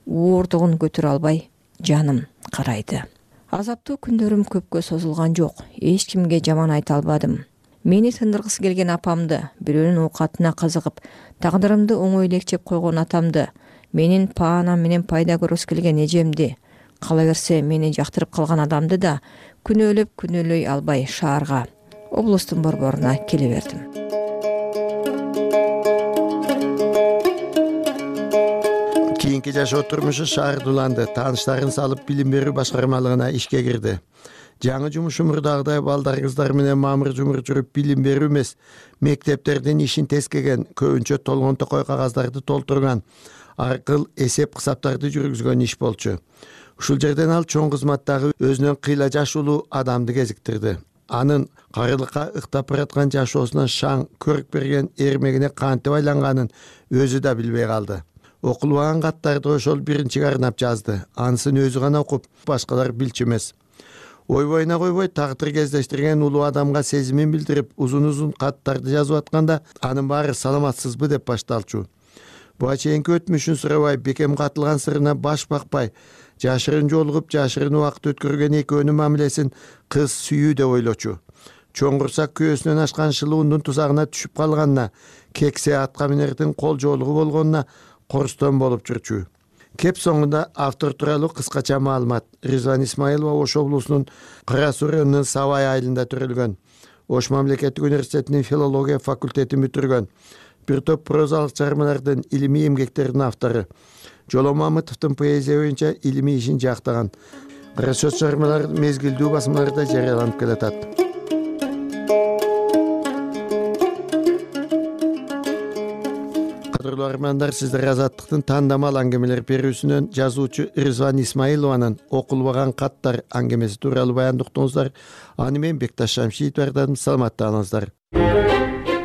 уурдугун көтөрө албай жаным карайды. Азаптуу күндөрүм көпкө созулган жок. Эч кимге жаман айта албадым. Мени тындыргысы келген апамды, бирөөнүн оокатына кызыгып, тагдырымды оңойлектеп койгон атамды, менин паанам менен пайда көргүсү келген эжемди, кала берсе мени жактырып калган адамды да күнөөлөй албай шаарга, облустун борборуна келе бердим.
Кийинки жашоо турмушу шаарда уланды. Тааныштарын салып билим берүү башкармалыгына ишке кирди. Жаңы жумушумурдагыдай балдар кыздар менен мамыр жумур жүрүп билим берүү эмес, мектептердин ишин тескеген, көбүнчө толгон токой кагаздарды толтурган, аркыл эсеп кысаптарды жүргүзгөн иш болчу. Ушул жерден ал чоң кызматтагы өзүнөн кыйла жаш улуу адамды кезиктирди. Анын карылыкка ыктап бараткан жашоосуна шаң көрүк берген эрмегине кантип айланганын өзү да билбей калды. Окулбаган каттарды ошол биринчиге арнап жазды. Анысын өзү гана окуп, башкалар билчү эмес. Ойбойуна койбой тагдыр кездештирген улуу адамга сезимин билдирип, узун каттарды жазып атканда, анын баары саламатсызбы деп башталчу. Буга чейинки өтмүшүн сурабай, бекем катылган сырына баш бакпай, жашырын жолугуп, жашырын убакыт өткөргөн экөөнүн мамилесин кыз сүйүү деп ойлочу. Чоң курсак күйөөсүнөн ашкан шылуундун тузагына түшүп калганына, кексе атка минердин кол жоолугу болгонуна корустон болуп жүрчү. Кеп соңунда автор тууралуу кыскача маалымат. Ризван Исмаилова Ош облусунун Кара Суу районунун Сабай айылында төрөлгөн. Ош мамлекеттик университетинин филология факультетин бүтүргөн. Бир топ прозалык чыгармалардын илимий эмгектеринин автору. Жоло Мамытовдун поэзия боюнча илимий ишин жактаган. Кара сөз чыгармалары мезгилдүү басмаларда жарыяланып келатат. Кадырлуу армандар, сиздер Азаттыктын тандамал аңгемелер берүүсүнөн жазуучу Ризван Исмаилованын окулбаган каттар аңгемеси тууралуу баянды уктуңуздар. Аны мен Бекташ Шамшиев даярдадым. Саламаттаныңыздар.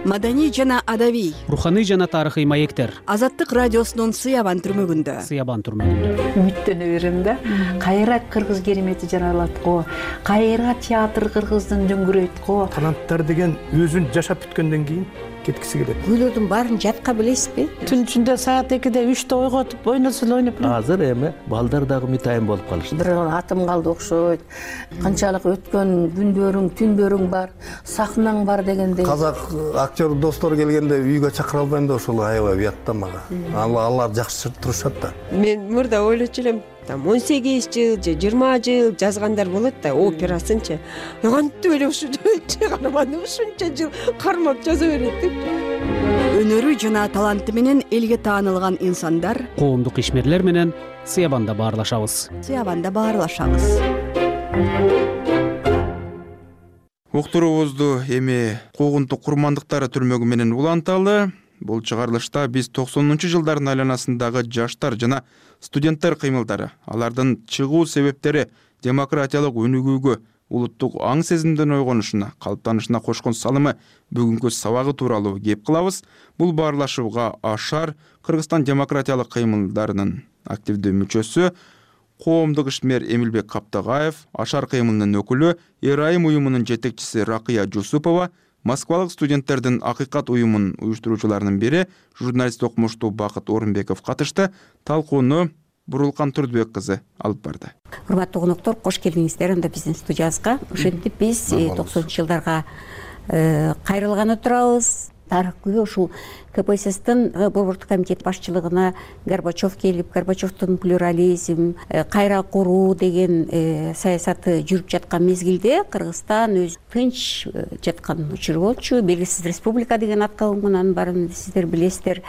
Маданий жана адабий,
руханий жана тарыхый маектер.
Азаттык радиосунун Сыябан түрмөгүндө.
Үмүттөнө берем да. Кайра кыргыз керемети жаралат го. Кайра театр кыргыздын дөңгүрөйт го.
Таланттар деген өзүн жашап бүткөндөн кийин кеткиси келет.
Күйлөрдүн баарын жатка билесизби?
Түн ичинде саат 2-де 3-те ойготуп, ойносо ойноп.
Азыр эми балдар дагы митайын болуп калышты.
Бир атым калды окшойт. Канчалык өткөн күндөрүң, түндөрүң бар, сахнаң бар дегендей.
Казак актер достор келгенде үйгө чакыра албайм да, ошол аябай уят да мага. Алар жакшы турушат да.
Мен мурда ойлочу элем, 18 жыл же 20 жыл жазгандар болот да, операсынчы. Кантип эле ушунча карман ушунча жыл кармап жаза берет деп.
Өнөрү жана таланты менен элге таанылган инсандар,
коомдук ишмерлер менен Сыябанда баарлашабыз.
Уктуруубузду эми куугунтук курмандыктары түрмөгү менен уланталы. Бул чыгарылышта биз 90-жылдардын айланасындагы жаштар жана студенттер кыймылдары, алардын чыгуу себептери, демократиялык өнүгүүгө, улуттук аң сезимдин ойгонушуна, калыптанышына кошкон салымы, бүгүнкү сабагы тууралуу кеп кылабыз. Бул баарлашууга Ашар Кыргызстан демократиялык кыймылдарынын активдүү мүчөсү, коомдук ишмер Эмилбек Каптагаев, Ашар кыймылынын өкүлү, Эрайым уюмунун жетекчиси Ракыя Жусупова, Москвалык студенттердин Акыйкат уюмунун уюштуруучуларынын бири журналист окумуштуу Бакыт Орунбеков катышты. Талкууну Бурулкан Турдубек кызы алып барды.
Урматтуу коноктор, кош келиңиздер анда биздин студиябызга. Ошентип биз 90-жылдарга кайрылганы турабыз. Тарыхкы ушул КПССтин борбордук комитет башчылыгына Горбачев келип, Горбачевдун плюрализм, кайра куруу деген саясаты жүрүп жаткан мезгилде Кыргызстан өз тынч жаткан учур болчу. Белгисиз республика деген аткалыгынан баарын сиздер билесиздер.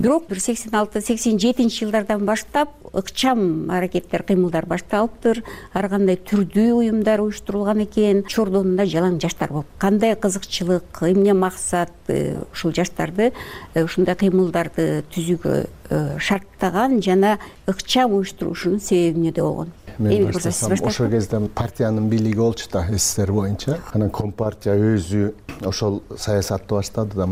бирок бир 86-87 жылдардан баштап ыкчам аракеттер, кыймылдар башталыптыр. Ар кандай түрдүү уюмдар уюштурулган экен. Чордонунда жалаң жаштар болуп, кандай кызыкчылык, эмне максат ушул жаштарды ушундай кыймылдарды түзүүгө шарттаган жана ыкчам уюштурушунун себеби эмнеде болгон?
Мен баштасам, ошол кезде партиянын бийлиги болчу да СССР боюнча. Анан Компартия өзү ошол саясатты баштады да.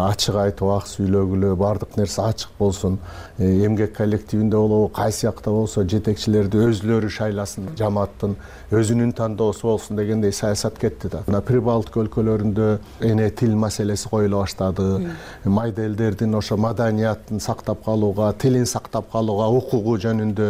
Ачык айтып, ак сүйлөгүлө, баардык нерсе ачык болсун. Эмгек коллективинде болобу, кайсы жакта болсо жетекчилерди өзлөрү шайласын, жамааттын өзүнүн тандоосу болсун дегендей саясат кетти да. Мына Прибалтика өлкөлөрүндө эне тил маселеси коюла баштады. Майда элдердин ошо маданиятын сактап калууга, тилин сактап калууга укугу жөнүндө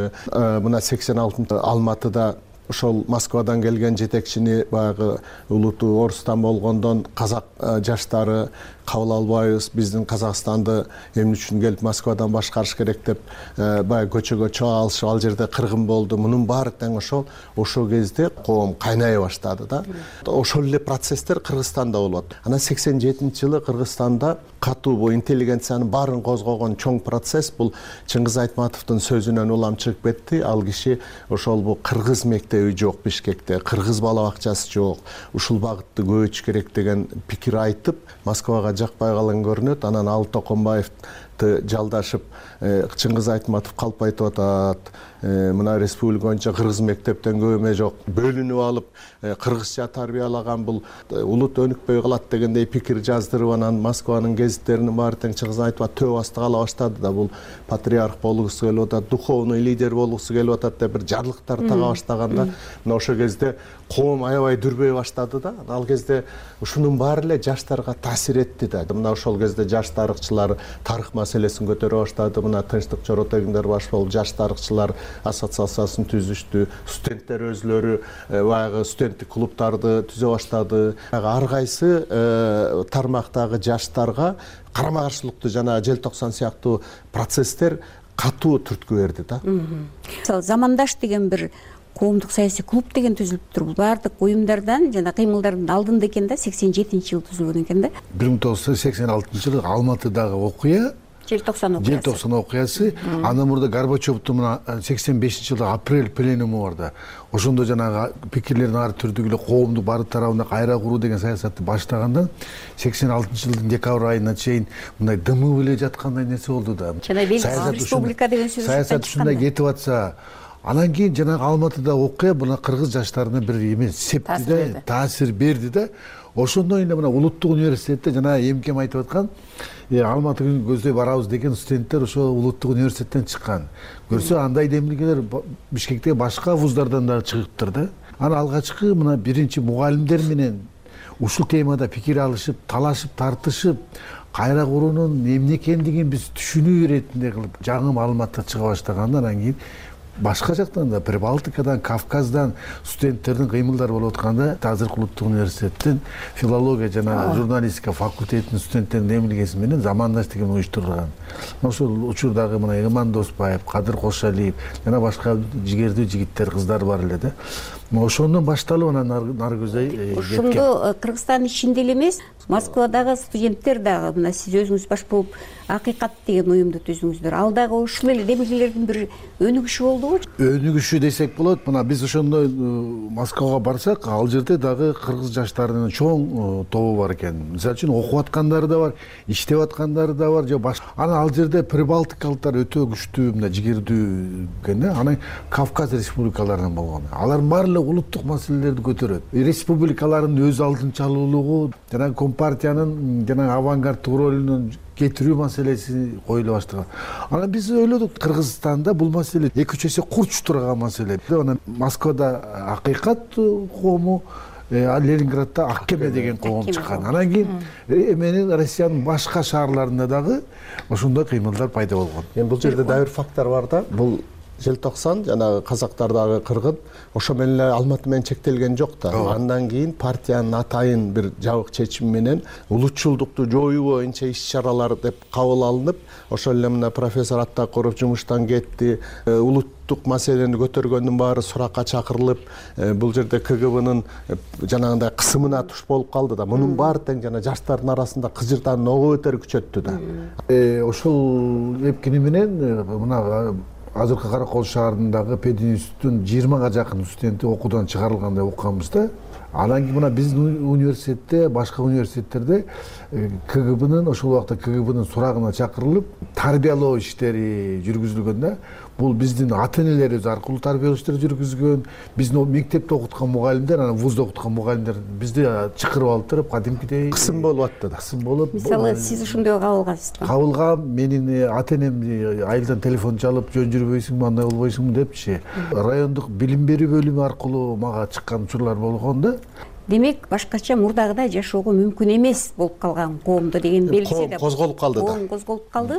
мына 86 Алматыда ошол Москвадан келген жетекчини баягы улуту орустан болгондон казак жаштары кабыл албайбыз, биздин Казакстанды эмне үчүн келип Москвадан башкарыш керек деп баягы көчөгө чыга алышып, ал жерде кыргын болду. Мунун баары тең ошол кезде коом кайнай баштады да. Ошол эле процесстер Кыргызстанда болот. Анан 87-жылы Кыргызстанда катуу бул интеллигенциянын баарын козгогон чоң процесс бул Чыңгыз Айтматовдун сөзүнөн улам чыгып кетти. Ал киши ошол бул кыргыз мектеби жок Бишкекте, кыргыз бала бакчасы жок, ушул багытты көбөйтүш керек деген пикир айтып, Москвага жакпай калган көрүнөт. Анан ал Токомбаевди жалдашып, Чыңгыз Айтматов калп айтып атат. Мына республика боюнча кыргыз мектептен көп эме жок, бөлүнүп алып кыргызча тарбиялаган бул улут өнүкпөй калат дегендей пикир жаздырып, анан Москванын гезиттеринин баары тең Чыңгыз Айтматов төбө асты кала баштады да. Бул патриарх болгусу келип атат, духовный лидер болгусу келип атат деп бир жарлыктар тага баштаганда, мына ошол кезде коом аябай дүрбөй баштады да. Ал кезде ушунун баары эле жаштарга таасир этти да. Мына ошол кезде жаш тарыхчылар тарых маселесин көтөрө баштады. Мына Тынчтык Жоротегиндер баш болуп жаш тарыхчылар ассоциациясын түзүштү. Студенттер өзлөрү баягы студенттик клубтарды түзө баштады. Ар кайсы тармактагы жаштарга карама каршылыктуу жана желтоқсан сыяктуу процесстер катуу түрткү берди да.
Мисалы Замандаш деген бир коомдук саясий клуб деген түзүлүп туруп, баардык уюмдардан жана кыймылдардын алдында экен да, 87-жылы түзүлгөн экен да.
1986-жылы Алматыдагы окуя, Желтоқсан окуясы, андан мурда Горбачевдун мына 85-жылы апрель пленуму бар да. Ошондо жанагы пикирлердин ар түрдүү эле коомду баары тарабына кайра куруу деген саясатты баштагандан 86-жылдын декабрь айына чейин мындай дымы эле жаткандай нерсе болду да.
Республика деген сөз
саясат ушундай кетип атса, анан кийин жанагы Алматыда окуя мына кыргыз жаштарына бир эме септи да, таасир берди да. Ошондон эле мына улуттук университетте жана эмкем айтып аткан Алматыга көздөй барабыз деген студенттер ошо улуттук университеттен чыккан. Көрсө андай демилгелер Бишкекте башка вуздардан да чыгыптыр да. Анан алгачкы мына биринчи мугалимдер менен ушул темада пикир алышып, талашып, тартышып, кайра куруунун эмне экендигин биз түшүнүү иретинде кылып жаңы маалыматтар чыга баштаганда, анан кийин башка жактан да Прибалтикадан, Кавказдан студенттердин кыймылдары болуп атканда, азыркы улуттук университеттин филология жана журналистика факультетинин студенттеринин эмилгеси менен Замандаш деген уюштурулган. Ошол учурдагы мына Игман Доспаев, Кадыр Кошалиев жана башка жигердүү жигиттер, кыздар бар эле да. Ошондон башталып анан нары көздөй кеткен.
Ошондо Кыргызстандын ичинде эле эмес, Москвадагы студенттер дагы мына сиз өзүңүз баш болуп Акыйкат деген уюмду түздүңүздөр. Ал дагы ушул эле демилгелердин бир өнүгүшү болдубу?
Өнүгүшү десек болот. Мына биз ошондо Москвага барсак, ал жерде дагы кыргыз жаштарынын чоң тобу бар экен. Мисалы үчүн окуп аткандары да бар, иштеп аткандары да бар, же башка. Анан ал жерде прибалтикалыктар өтө күчтүү, мына жигердүү экен да. Анан Кавказ республикаларынан болгон. Алар баары эле улуттук маселелерди көтөрөт. Республикалардын өз алдынчалуулугу жана Компартиянын жана авангарддык ролунун кетирүү маселеси коюла баштаган. Анан биз ойлодук, Кыргызстанда бул маселе 2-3 эсе курч турган маселе. Анан Москвада Акыйкат коому, Ленинградда Аккеме деген коом чыккан. Анан кийин эменин Россиянын башка шаарларында дагы ошондой кыймылдар пайда болгон.
Эми бул жерде дагы бир фактор бар да. Бул желтоқсан жанагы казактардагы кыргын ошо менен эле Алматы менен чектелген жок да. Андан кийин партиянын атайын бир жабык чечими менен улутчулдукту жоюу боюнча иш-чаралар деп кабыл алынып, ошол эле мына профессор Аттакуров жумуштан кетти. Улуттук маселени көтөргөндүн баары суракка чакырылып, бул жерде КГБнын жанагындай кысымына туш болуп калды да. Мунун баары тең жана жаштардын арасында кызжыртаанын ого бетер күчөттү да.
Ошол эпкини менен мына азыркы Кара Кол шаарындагы пединституттун 20га жакын студенти окуудан чыгарылгандай укканбыз да. Анан кийин мына биздин университетте, башка университеттерде КГБнын ошол убакта КГБнын сурагына чакырылып тарбиялоо иштери жүргүзүлгөн да. Бул биздин ата-энелерибиз аркылуу тарбиялоо иштери жүргүзгөн, биздин мектепте окуткан мугалимдер, анан вузда окуткан мугалимдер бизди чакырып алып туруп кадимкидей
кысым болуп атты да.
Кысым болуп.
Мисалы, сиз ошондой кабылгансызбы?
Кабылгам, менин ата-энем айылдан телефон чалып, жөн жүрбөйсүңбү, андай болбойсуңбу депчи. Райондук билим берүү бөлүмү аркылуу мага чыккан учурлар болгон да.
Демек, башкача мурдагыдай жашоого мүмкүн эмес болуп калган коомдо деген белгиси да.
Козголуп калды да.
Коом козголуп калды.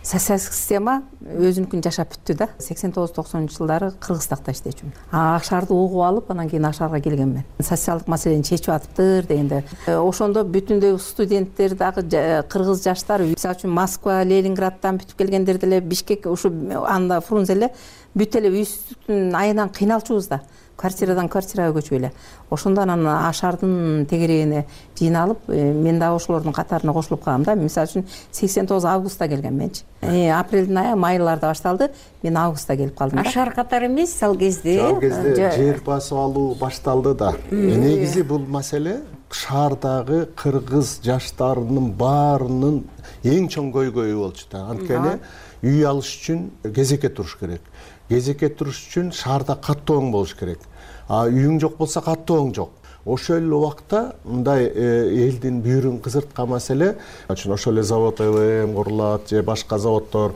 Социалдык система өзүнүкүн жашап бүттү да. 89-90-жылдары Кыргызстакта иштечүмүн. Ашарды угуп алып, анан кийин Ашарга келгенмин. Социалдык маселени чечип атыптыр дегенде. Ошондо бүтүндөй студенттер дагы кыргыз жаштар, мисалы үчүн Москва, Ленинграддан бүтүп келгендер деле Бишкек, ушу анда Фрунзе эле бүт эле үйсүздүктүн айынан кыйналчубуз да. Квартирадан квартирага көчүп эле. Ошондо анан Ашардын тегерегине жыйналып, мен да ошолордун катарына кошулуп калгам да. Мисалы үчүн 89 августта келгем менчи. Апрелдин айы, майларда башталды. Мен августта келип калдым да.
Ашар катары эмес, ал кезде.
Ал кезде жер басып алуу башталды да. Негизи бул маселе шаардагы кыргыз жаштарынын баарынын эң чоң көйгөйү болчу да. Анткени үй алыш үчүн кезекке туруш керек. Кезекке туруш үчүн шаарда каттооң болуш керек. Үйүң жок болсо каттооң жок. Ошол эле убакта мындай элдин бүйүрүн кызырткан маселе, ошол эле завод ЭВМ курулат же башка заводдор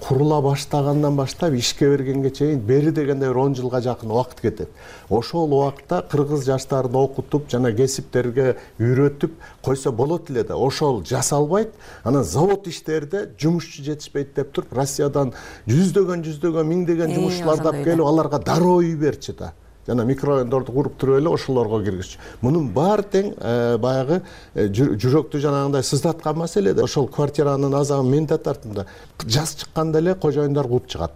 курула баштагандан баштап ишке бергенге чейин бери дегенде 10 жылга жакын убакыт кетет. Ошол убакта кыргыз жаштарын окутуп жана кесиптерге үйрөтүп койсо болот эле да. Ошол жасалбайт. Анан завод иштерде жумушчу жетишпейт деп туруп, Россиядан жүздөгөн, миңдеген жумушчуларды алып келип, аларга дароо үй берчи да. Жана микрорайондорду куруп туруп эле ошолорго киргизчү. Мунун баары тең баягы жүрөктү жанагындай сыздаткан маселе да. Ошол квартиранын азабын мен да тарттым да. Жаз чыкканда эле кожоюндар кууп чыгат.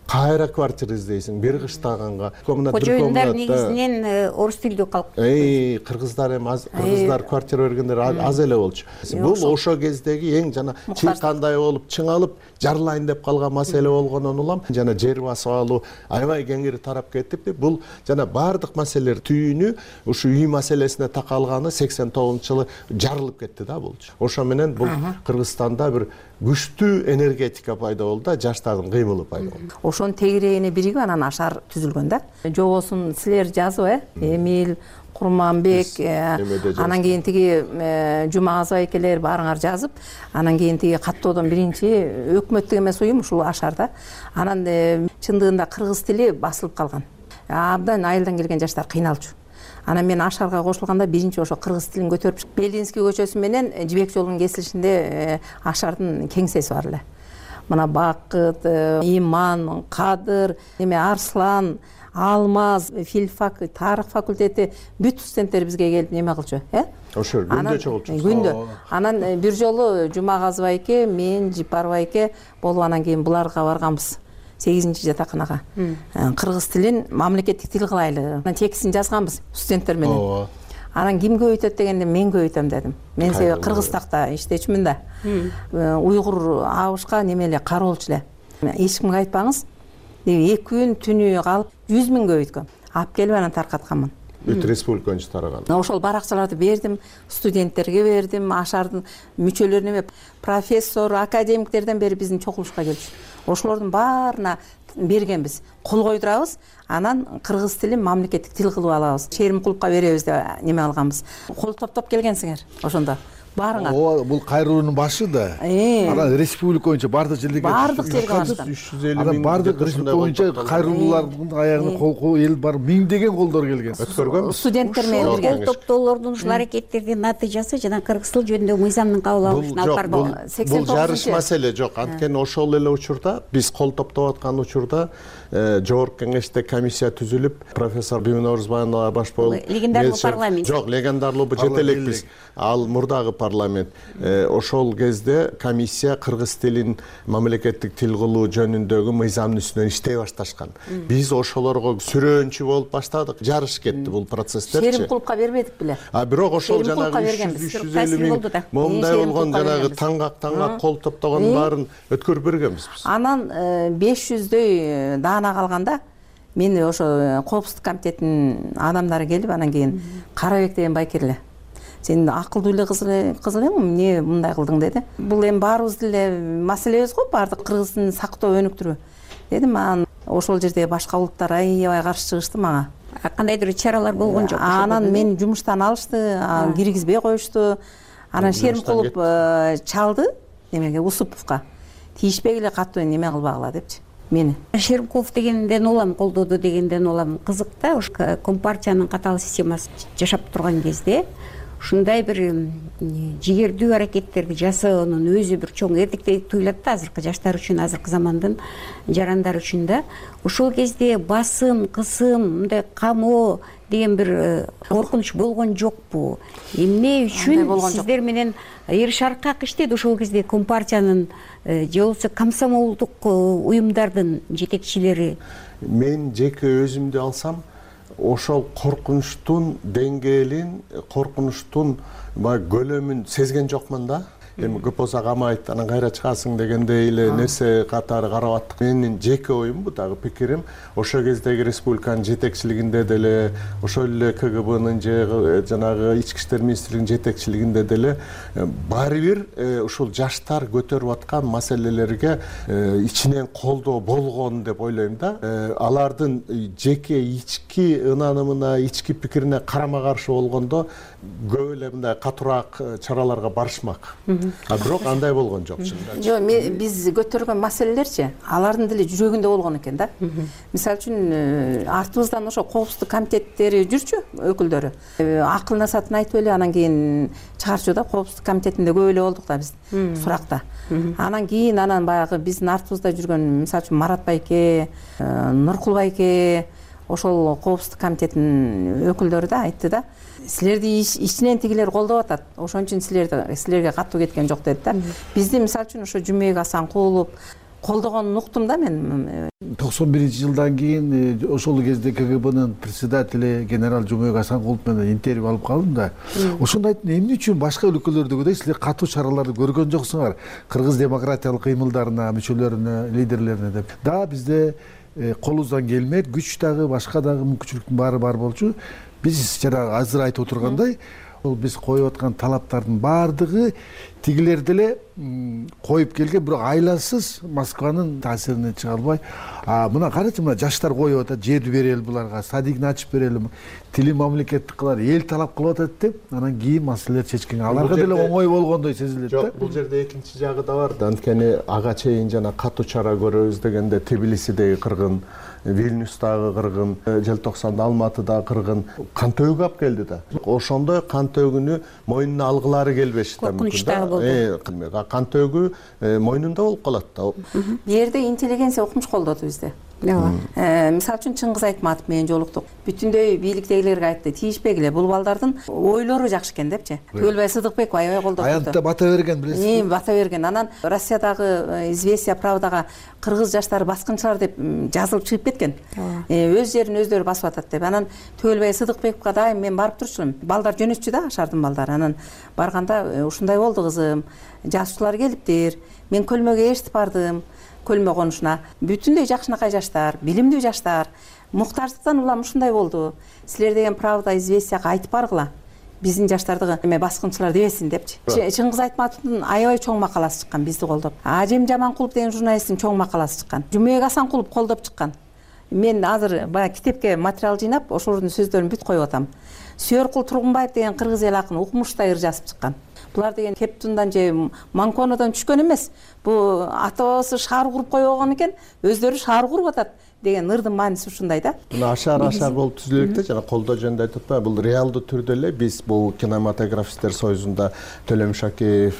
Кайра квартира издейсиң, бир кыштаганга.
Кожоюндар негизинен орус тилдүү калып.
Кыргыздар эми кыргыздар квартира бергендер аз эле болчу. Бул ошо кездеги эң жана чый кандай болуп чыңалып жарылайын деп калган маселе болгондон улам жана жер басып алуу аябай кеңири тарап кетип, бул жана баардык маселелер түйүнү ушу үй маселесине такалганы 89-жылы жарылып кетти да булчу. Ошо менен бул Кыргызстанда бир күчтүү энергетика пайда болду да, жаштардын кыймылы пайда болду.
Ошонун тегерегине биригип анан Ашар түзүлгөн да. Жобосун силер жазып, Эмил, Курманбек, анан кийин тиги Жумагазов экелер баарыңар жазып, анан кийин тиги каттоодон биринчи өкмөттүк эмес уюм ушул Ашарда. Анан чындыгында кыргыз тили басылып калган. Абдан айылдан келген жаштар кыйналчу. Анан мен Ашарга кошулганда биринчи ошо кыргыз тилин көтөрүп, Белинский көчөсү менен Жибек жолунун кесилишинде Ашардын кеңсеси бар эле. Мына Бакыт, Иман, Кадыр, Арслан, Алмаз, филфак, тарых факультети бүт студенттер бизге келип неме кылчу,
Ошо күндө чогулчу.
Күндө. Анан бир жолу Жумагазов эке, мен Жипарова эке болуп анан кийин буларга барганбыз. 8-чи жатаканага. Кыргыз тилин мамлекеттик тил кылайлы. Текстин жазганбыз студенттер менен. Анан ким көбөйтөт дегенде мен көбөйтөм дедим. Мен себеби Кыргызстакта иштечүмүн да. Уйгур абышка неме эле кароолчу эле. Эч кимге айтпаңыз. 2 күн түнү калып 100 000 көбөйткөм. Алып келип анан таркатканмын.
Бүт республика боюнча тараган.
Ошол баракчаларды бердим, студенттерге бердим, Ашардын мүчөлөрүнө, профессор, академиктерден бери биздин чогулушка келчү. Ошолордун баарына бергенбиз. Кол койдурабыз, анан кыргыз тилин мамлекеттик тил кылып алабыз. Шерим клубка беребиз деп неме алганбыз. Кол топтоп келгенсиңер ошондо. Баарыңар.
Бул кайрылуунун башы да. Анан республика боюнча бардык жерге
баштым.
350
000. Бардык республика боюнча кайрылуулардын аягына кол эл бар, миңдеген колдор келген.
Өткөргөнбүз.
Студенттер менен бирге.
Кол топтоолордун ушул аракеттердин натыйжасы жана кыргыз тил жөнүндө мыйзамдын кабыл алынышына алып барды.
Бул жарыш маселе жок. Анткени ошол эле учурда биз кол топтоп аткан учурда
учурда жогорку кеңеште комиссия түзүлүп, профессор Бимин Орузбаева баш болуп,
легендарлуу парламент.
Жок, легендарлуу жете элекпиз. Ал мурдагы парламент. Ошол кезде комиссия кыргыз тилин мамлекеттик тил кылуу жөнүндөгү мыйзамдын үстүнөн иштей башташкан. Биз ошолорго сүрөөнчү болуп баштадык. Жарыш кетти бул процесстерчи.
Шерим кулупка бербедик беле.
Бирок ошол жанагы 300-350 миң момундай болгон жанагы таңгак кол топтогон баарын өткөрүп бергенбиз биз.
Анан 500дөй даана калганда мени ошо коопсуздук комитетинин адамдары келип, анан кийин Карабек деген байкер эле. Сен акылдуу эле кыз элең, эмне мындай кылдың деди. Бул эми баарыбыздын эле маселебиз го, баардык кыргыздын сактоо өнүктүрүү дедим. Анан ошол жерде башка улуттар аябай каршы чыгышты мага.
Кандайдыр чаралар болгон жок?
Анан мени жумуштан алышты, киргизбей коюшту. Анан Шерим кулуп чалды немеге, Усуповго. Тийишпегиле катуу неме кылбагыла депчи мени.
Шеримкулов дегенден улам колдоду дегенден улам кызык да. Ушу Компартиянын катаал системасы жашап турган кезде ушундай бир жигердүү аракеттерди жасоонун өзү бир чоң эрдиктей туюлат да азыркы жаштар үчүн, азыркы замандын жарандары үчүн да. Ошол кезде басым, кысым, мындай камоо деген бир коркунуч болгон жокпу? Эмне үчүн сиздер менен Эр Шаркак иштеди ошол кезде Компартиянын же болбосо комсомолдук уюмдардын жетекчилери?
Мен жеке өзүмдү алсам, ошол коркунучтун деңгээлин, коркунучтун көлөмүн сезген жокмун да. Эми көп болсо камайт, анан кайра чыгасың дегендей эле нерсе катары карап аттык. Менин жеке оюм, бул дагы пикирим, ошол кездеги республиканын жетекчилигинде деле, ошол эле КГБнын же жанагы ички иштер министрлигинин жетекчилигинде деле баары бир ушул жаштар көтөрүп аткан маселелерге ичинен колдоо болгон деп ойлойм да. Алардын жеке ички ынанымына, ички пикирине карама каршы болгондо көп эле мындай катуураак чараларга барышмак. Бирок андай болгон жок.
Жок, биз көтөргөн маселелерчи алардын деле жүрөгүндө болгон экен да. Мисалы үчүн артыбыздан ошо коопсуздук комитеттери жүрчү өкүлдөрү. Акыл насатын айтып эле анан кийин чыгарчу да, коопсуздук комитетинде көп эле болдук да биз суракта. Анан кийин баягы биздин артыбызда жүргөн мисалы үчүн Марат байке, Нуркул байке, ошол коопсуздук комитетинин өкүлдөрү да айтты да. Силерди ичинен тигилер колдоп атат. Ошон үчүн силерге катуу кеткен жок деди да. Бизди мисалы үчүн ошо Жумек Асанкулов колдогонун уктум да мен.
91-жылдан кийин ошол кезде КГБнын председатели генерал Жумек Асанкулов менен интервью алып калдым да. Ошондо айттым, эмне үчүн башка өлкөлөрдөгүдөй силер катуу чараларды көргөн жоксуңар кыргыз демократиялык кыймылдарына, мүчөлөрүнө, лидерлерине деп. Да, бизде колубуздан келмейт, күч дагы, башка дагы мүмкүнчүлүктүн баары бар болчу. Биз жана азыр айтып отургандай, биз коюп аткан талаптардын баардыгы тигилер деле коюп келген, бирок айласыз Москванын таасирине чыга албай. Мына карачы, мына жаштар коюп атат, жерди берели буларга, садигин ачып берели, тили мамлекеттик кылар, эл талап кылып атат деп, анан кийин маселелер чечкен. Аларга деле оңой болгондой сезилет да.
Жок, бул жерде экинчи жагы да бар. Анткени ага чейин жана катуу чара көрөбүз дегенде Тбилисидеги кыргын, Вильнюстагы кыргын, желтоқсанда Алматыдагы кыргын кантөөгү алып келди да. Ошондой кантөөгүнү мойнуна алгылары келбешти да.
Коркунучтагы болду.
Кантөөгү мойнунда болуп калат да.
Бул жерде интеллигенция укмуш колдоду бизде. Мисалы үчүн Чыңгыз Айтматов менен жолуктук. Бүтүндөй бийликтегилерге айтты, тийишпегиле, бул балдардын ойлору жакшы экен депчи. Төлбай Сыдыкбек аябай колдоп турду.
Аянтта бата берген, билесизби?
Бата берген. Анан Россиядагы Известия Правдага кыргыз жаштары баскынчылар деп жазылып чыгып кеткен. Өз жерин өздөрү басып атат деп. Анан Төлбай Сыдыкбековго дайым мен барып турчу элем. Балдар жөнөтчү да, Ашардын балдары. Анан барганда ушундай болду кызым, жазуучулар келиптир. Мен көлмөгө эшитип бардым. Көлмө конушуна бүтүндөй жакшынакай жаштар, билимдүү жаштар, муктаждыктан улам ушундай болду. Силер деген Правда, Известияга айтып баргыла. Биздин жаштарды эме баскынчылар дебесин депчи. Чыңгыз Айтматовдун аябай чоң макаласы чыккан бизди колдоп. Ажем Жаманкулов деген журналисттин чоң макаласы чыккан. Жумек Асанкулов колдоп чыккан. Мен азыр баягы китепке материал жыйнап, ошолордун сөздөрүн бүт коюп атам. Сүйөркул Тургунбаев деген кыргыз эл акыны укмуштай ыр жазып чыккан. булар деген Кептундан же Манконодон түшкөн эмес. Бул ата бабасы шаар куруп койгон экен, өздөрү шаар куруп атат деген ырдын мааниси ушундай да.
Мына ашар болуп түзүлөт да, жана колдоо жөнүндө айтып атпайбы, бул реалдуу түрдө эле биз бул кинематографисттер союзунда Төлөм Шакеев,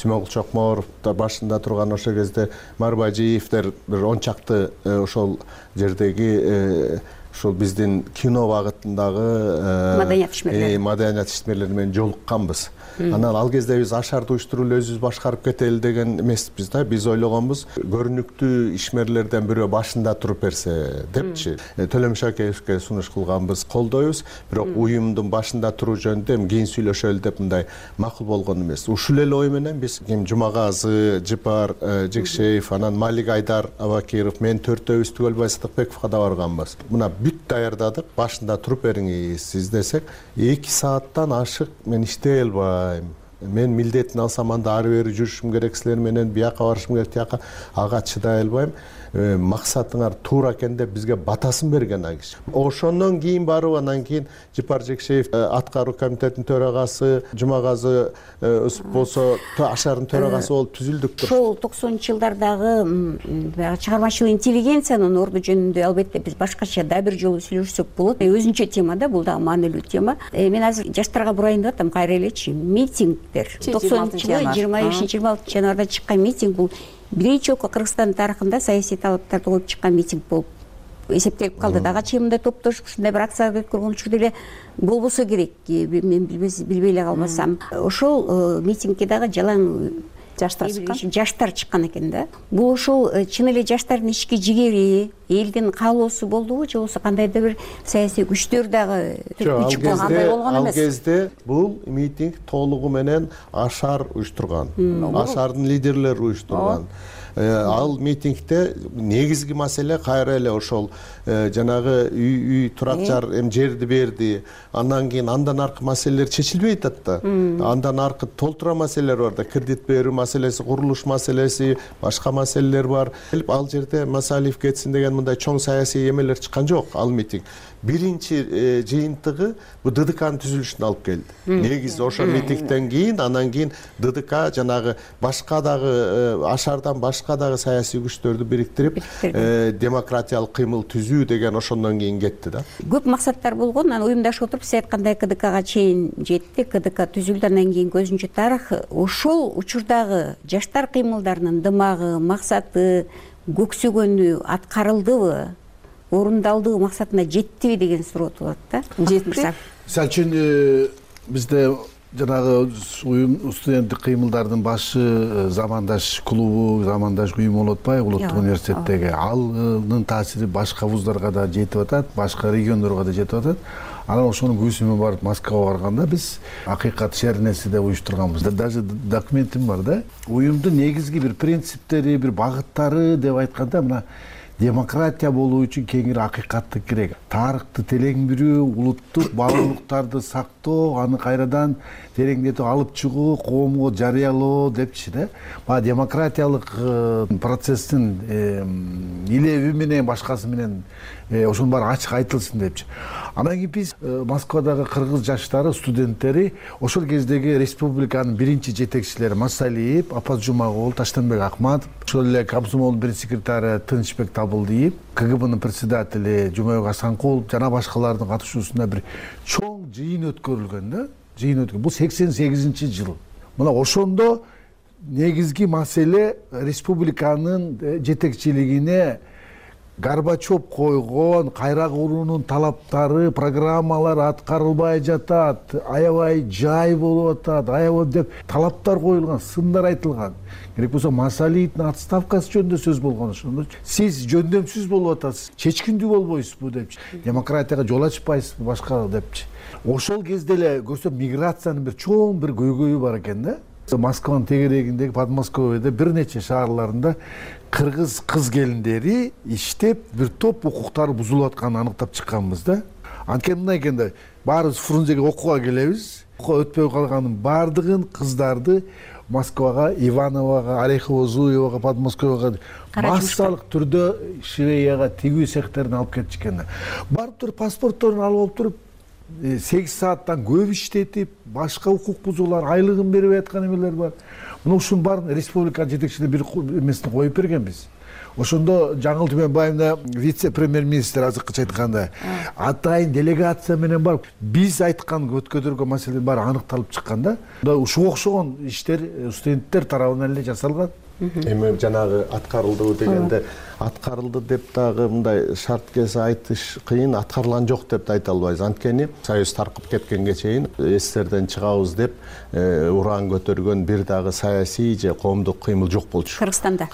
Сүмөгүл Чокморов башында турган ошол кезде Марбажиевдер бир 10 чакты ошол жердеги ушул биздин кино багытындагы маданият ишмерлери менен жолукканбыз. Анан ал кезде биз ашарды уюштуруп өзүбүз башкарып кетели деген эмеспиз да. Биз ойлогонбуз, көрүнүктүү ишмерлерден бирөө башында туруп берсе депчи. Төлөм Шакеевке сунуш кылганбыз, колдойбуз, бирок уюмдун башында туруу жөнүндө кийин сүйлөшөлү деп мындай макул болгон эмес. Ушул эле ой менен биз Жумагазы, Жыпар Жекшеев, анан Малик Айдар Абакиров, мен төртөөбүз Түгөлбай Сыдыкбековго да барганбыз. Мына бүт даярдадык, башында туруп бериңиз десек, 2 сааттан ашык мен иштей албайм. Мен милдетин алсам анда ары бери жүрүшүм керек, силер менен бияка барышым керек, тияка, ага чыдай албайм. Максатыңар туура экен деп бизге батасын берген ал киши. Ошондон кийин барып, анан кийин Жыпар Жекшеев аткаруу комитетинин төрагасы, Жумагазы болсо ашардын төрагасы болуп түзүлдүк.
Ошол 90-жылдардагы чыгармачыл интеллигенциянын орду жөнүндө албетте биз башкача да бир жолу сүйлөшсөк болот. Өзүнчө тема да, бул дагы маанилүү тема. Мен азыр жаштарга бурайын деп атам, кайра элечи. Митингдер 90-жылы 25-26 январда чыккан митинг бул биринчи жолку Кыргызстандын тарыхында саясий талаптарды коюп чыккан митинг болуп эсептелип калды. Дагы чейимде топтошуп ушундай бир акция өткөргөн учурда эле болбосо керек. Мен билбей эле калбасам. Ошол митингге дагы жалаң жаштар чыккан экен да. Бул ошол чын эле жаштардын ички жигери, элдин каалоосу болдубу, же болбосо кандайдыр бир саясий күчтөр дагы күч болгондой болгон эмес.
Ал кезде бул митинг толугу менен Ашар уюштурган. Ашардын лидерлери уюштурган. Ал митингде негизги маселе кайра эле ошол жанагы үй турак жар жерди берди. Андан кийин андан аркы маселелер чечилбей атат да. Андан аркы толтура маселелер бар да. Кредит берүү маселеси, курулуш маселеси, башка маселелер бар. Ал жерде Масалиев кетсин деген мындай чоң саясий эмелер чыккан жок. Ал митинг биринчи жыйынтыгы бу ДДКнын түзүлүшүнө алып келди. Негизи ошол митингден кийин, андан кийин ДДК жанагы башка дагы Ашардан башка дагы саясий күчтөрдү бириктирип, демократиялык кыймыл түзүү деген ошондон кийин кетти да.
Көп максаттар болгон, анан уюмдашып отуруп сиз айткандай КДКга чейин жетти. КДК түзүлдү, андан кийин көзүнчө тарых ошол учурдагы жаштар кыймылдарынын дымагы, максаты, көксөгөнү аткарылдыбы? Орундалдуу максатына жеттиби деген суроо туулат да.
Жетти. Мисалы үчүн бизде жанагы уюм студенттик кыймылдардын башы Замандаш клубу, Замандаш уюм болуп атпайбы, Улуттук университеттеги. Алнын таасири башка вуздарга да жетип атат, башка региондорго да жетип атат. Анан ошонун көсүмү барып Москвага барганда биз акыйкат шернеси деп уюштурганбыз. Даже документим бар да. Уюмдун негизги бир принциптери, бир багыттары деп айтканда мына демократия болуу үчүн кеңири акыйкатты керек. Тарыхты тереңдирүү, улуттук баалуулуктарды сактоо, аны кайрадан тереңдетип алып чыгуу, коомго жарыялоо депчи да. Демократиялык процесстин илеби менен башкасы менен ошонун баары ачык айтылсын депчи. Анан кийин биз Москвадагы кыргыз жаштары, студенттери ошол кездеги республиканын биринчи жетекчилери Масалиев, Апаз Жумагул, Таштанбек Акматов, ошол эле комсомолдун биринчи секретары Тынычбек Табылдиев, КГБнын председатели Жумабек Асанкулов жана башкалардын катышуусунда бир чоң жыйын өткөрүлгөн да. Жыйын өткөрүлгөн. Бул 88-жыл. Мына ошондо негизги маселе республиканын жетекчилигине Горбачев койгон кайра куруунун талаптары, программалары аткарылбай жатат, аябай жай болуп атат, аябай деп талаптар коюлган, сындар айтылган. Керек болсо Масалиевдин отставкасы жөнүндө сөз болгон ошондо. Сиз жөндөмсүз болуп атасыз, чечкиндүү болбойсузбу депчи. Демократияга жол ачпайсызбы башка депчи. Ошол кезде эле көрсөм миграциянын бир чоң бир көйгөйү бар экен да. Москванын тегерегиндеги Подмосковьеде бир нече шаарларында кыргыз кыз келиндери иштеп бир топ укуктары бузулуп атканын аныктап чыкканбыз да. Анткени мындай экен да, баарыбыз Фрунзеге окууга келебиз. Окуу өтпөй калганын баардыгын кыздарды Москвага, Иванового, Орехово-Зуевого, Подмосковьега массалык түрдө Швейяга тигүү цехтерине алып кетишкен. Барып туруп паспортторун алып туруп 8 сааттан көп иштетип, башка укук бузуулар, айлыгын бербей аткан эмелер бар. Мына ушунун баарын республика жетекчилиги бир эмесине коюп бергенбиз. Ошондо Жаңыл Түмөнбаев айымда вице-премьер-министр азыркыча айткандай атайын делегация менен барып, биз айткан өткөдөргөн маселелер баары аныкталып чыккан да. Ушуга окшогон иштер студенттер тарабынан эле жасалган.
Эми жанагы аткарылды дегенде, аткарылды деп дагы мындай шарт кесе айтыш кыйын, аткарылган жок деп да айта албайбыз. Анткени Союз таркып кеткенге чейин СССРден чыгабыз деп уран көтөргөн бир дагы саясий же коомдук кыймыл жок болчу.
Кыргызстанда.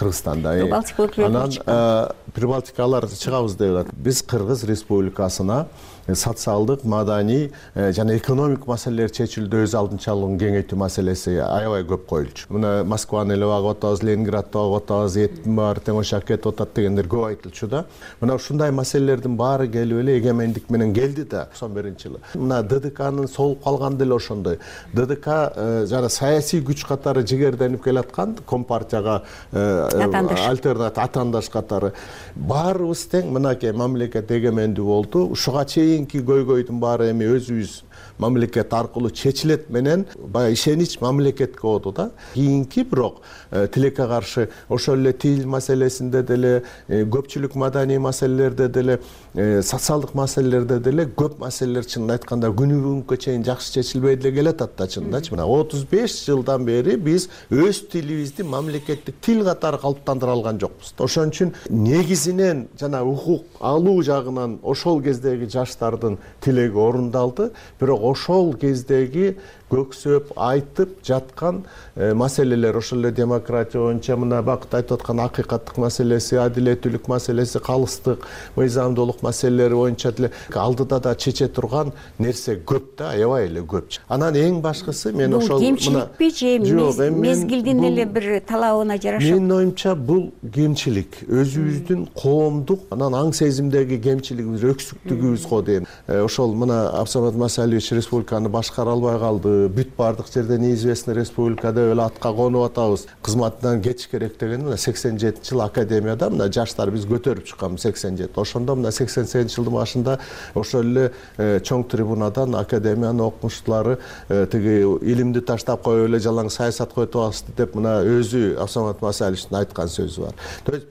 Анан Прибалтикалар чыгабыз деп атат. Биз Кыргыз Республикасына социалдык, маданий жана экономик маселелер чечилүүдө өз алдынча алган кеңейтүү маселеси аябай көп коюлчу. Мына Москваны эле багып атабыз, Ленинградты багып атабыз, этим бар, тең ошо кетип атат дегендер көп айтылчу да. Мына ушундай маселелердин баары келип эле эгемендик менен келди да 91-жылы. Мына ДДКнын солуп калганы деле ошондой. ДДК жана саясий күч катары жигерденип келаткан компартияга альтернатив атандаш катары баарыбыз тең мынакей мамлекет эгемендүү болду. Ушуга чейинки көйгөйдүн баары эми өзүбүз мамлекет аркылуу чечилет менен баягы ишенич мамлекетке болду да. Кийинки бирок тилекке каршы ошол эле тил маселесинде деле, көпчүлүк маданий маселелерде деле, социалдык маселелерде деле көп маселелер чынын айтканда күнү бүгүнкү чейин жакшы чечилбей деле келатат да чындачы. Мына 35 жылдан бери биз өз тилибизди мамлекеттик тил катары калыптандыра алган жокпуз. Ошон үчүн негизинен жана укук алуу жагынан ошол кездеги жаштардын тилеги орундалды, бирок ошол кездеги көксөп айтып жаткан маселелер ошол эле демократия боюнча мына бакыт айтып аткан акыйкаттык маселеси, адилеттүүлүк маселеси, калыстык, мыйзамдуулук маселелери боюнча деле алдыда да чече турган нерсе көп да, аябай эле көп. Анан эң башкысы мен ошол
кемчиликпи же мезгилдин эле бир талабына жараша?
Менин оюмча бул кемчилик, өзүбүздүн коомдук анан аң сезимдеги кемчилигибиз, өксүктүгүбүз го дейм. Ошол мына Абсамат Масалиевич республиканы башкара албай калды. Бүт бардык жерде неизвестный республика деп эле атка конуп атабыз. Кызматынан кетиш керек деген мына 87-жыл академияда мына жаштар биз көтөрүп чыкканбыз 87. Ошондо мына 88-жылдын башында ошол эле чоң трибунадан академиянын окумуштуулары тиги илимди таштап коюп эле жалаң саясатка өтүп алышты деп мына өзү Абсамат Масалиевичтин айткан сөзү бар. То есть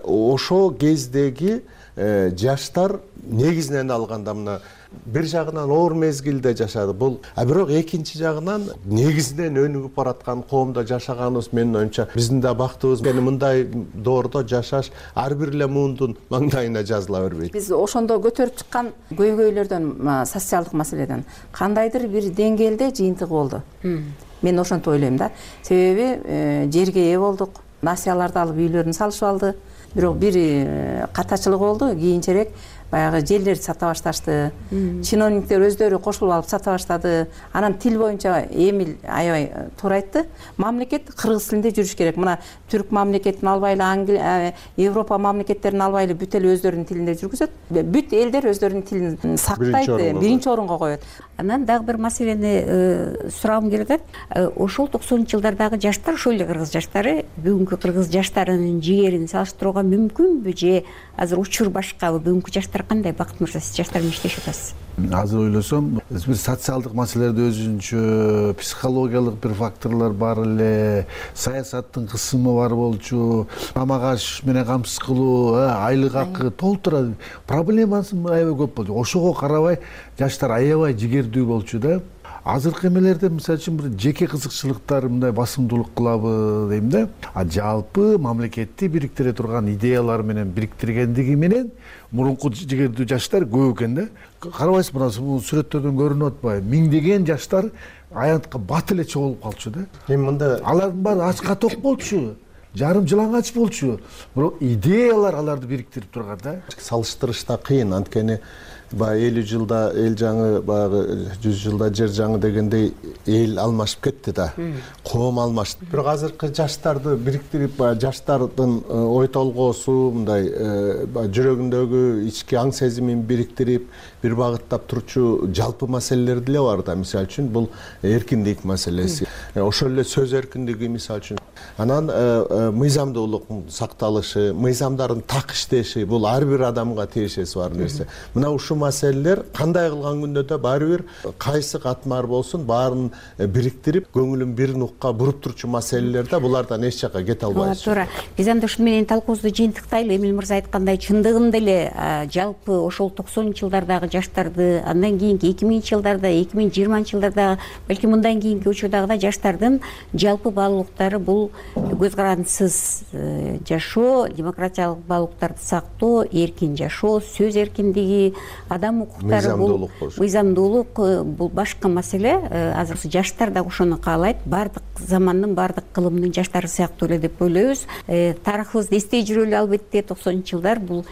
ошол кездеги жаштар негизинен алганда мына бир жагынан оор мезгилде жашады бул, бирок экинчи жагынан негизинен өнүгүп бараткан коомдо жашаганыбыз менин оюмча биздин да бактыбыз. Эми мындай доордо жашаш ар бир эле муундун маңдайына жазыла бербейт.
Биз ошондо көтөрүп чыккан көйгөйлөрдөн, социалдык маселеден кандайдыр бир деңгээлде жыйынтыгы болду. Мен ошентип ойлойм да. Себеби жерге ээ болдук, насыяларды алып үйлөрүн салышып алды. Бирок бир катачылык болду, кийинчерээк баягы жерлерди сата башташты. Чиновниктер өздөрү кошулуп алып сата баштады. Анан тил боюнча Эмил аябай туура айтты. Мамлекет кыргыз тилинде жүрүш керек. Мына түрк мамлекетин албайлы, Европа мамлекеттерин албайлы, бүт эле өздөрүнүн тилинде жүргүзөт. Бүт элдер өздөрүнүн тилин сактайт, биринчи орунга коет.
Анан дагы бир маселени сурагым келип атат. Ошол 90-жылдардагы жаштар, ошол эле кыргыз жаштары бүгүнкү кыргыз жаштарынын жигерин салыштырууга мүмкүнбү же азыр учур башкабы? Бүгүнкү жаштар кандай? Бакыт мырза, сиз жаштар менен иштешип атасыз.
Азыр ойлосом, бир социалдык маселелерде өзүнчө психологиялык бир факторлор бар эле, саясаттын кысымы бар болчу, камагаш менен камсыз кылуу, айлык акы толтура проблемасы аябай көп болчу. Ошого карабай жаштар аябай жигердүү болчу да. Азыркы эмелерде мисалы үчүн бир жеке кызыкчылыктар мындай басымдуулук кылабы дейм да. Жалпы мамлекетти бириктире турган идеялар менен бириктиргендиги менен мурунку жигердүү жаштар көп экен да. Карабайсыз, мына бул сүрөттөрдөн көрүнүп атпайбы? Миңдеген жаштар аянтка бат эле чогулуп калчу да.
Эми мында
алардын баары ачка ток болчу, жарым жылаңач болчу. Бирок идеялар аларды бириктирип турган да.
Салыштырышта кыйын, анткени 50 жылда эл жаңы, баягы 100 жылда жер жаңы дегендей эл алмашып кетти да. Коом алмашты. Бирок азыркы жаштарды бириктирип, жаштардын ой толгоосу, мындай жүрөгүндөгү ички аң сезимин бириктирип, бир багыттап турчу жалпы маселелер деле бар да. Мисалы үчүн бул эркиндик маселеси, ошол эле сөз эркиндиги мисалы үчүн. Анан мыйзамдуулуктун сакталышы, мыйзамдардын так иштеши, бул ар бир адамга тиешеси бар нерсе. Мына ушул маселелер кандай кылган күндө да баары бир кайсы катмар болсун баарын бириктирип көңүлүн бир нукка буруп турчу маселелер да, булардан эч жакка кете албайбыз.
Туура. Биз анда ушу менен талкуубузду жыйынтыктайлы. Эмил мырза айткандай чындыгында эле жалпы ошол 90-жылдардагы жаштарды, андан кийинки 2000-жылдарда, 2020-жылдардагы, балки мындан кийинки учурдагы да жаштардын жалпы баалуулуктары бул көз карандысыз жашоо, демократиялык баалуулуктарды сактоо, эркин жашоо, сөз эркиндиги, адам укуктары, бул мыйзамдуулук, бул башка маселе. Азыр жаштар да ошону каалайт. Бардык замандын, бардык кылымдын жаштары сыяктуу эле деп ойлойбуз. Тарыхыбызды эстей жүрөлү, албетте 90-жылдар бул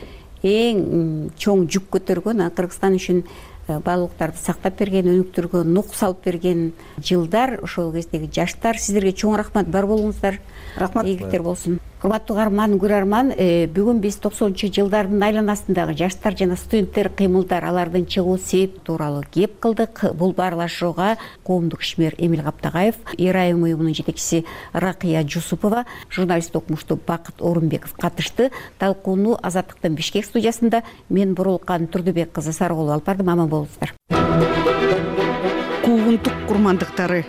эң чоң жүк көтөргөн, Кыргызстан үчүн баалуулуктарды сактап берген, өнүктүргөн, нук салып берген жылдар. Ошол кездеги жаштар, сиздерге чоң рахмат, бар болуңуздар. Рахмат. Ийгиликтер болсун. Урматтуу каарман, көрөрман, бүгүн биз 90-жылдардын айланасындагы жаштар жана студенттер кыймылдар, алардын чыгуу себеби тууралуу кеп кылдык. Бул баарлашууга коомдук ишмер Эмил Каптагаев, ИРАМ уюмунун жетекчиси Ракыя Жусупова, журналист окумуштуу Бакыт Орунбеков катышты. Талкууну Азаттыктын Бишкек студиясында мен Бурулкан Турдубек кызы Сарыгулова алып бардым. Аман болуңуздар.
Куугунтук курмандыктары.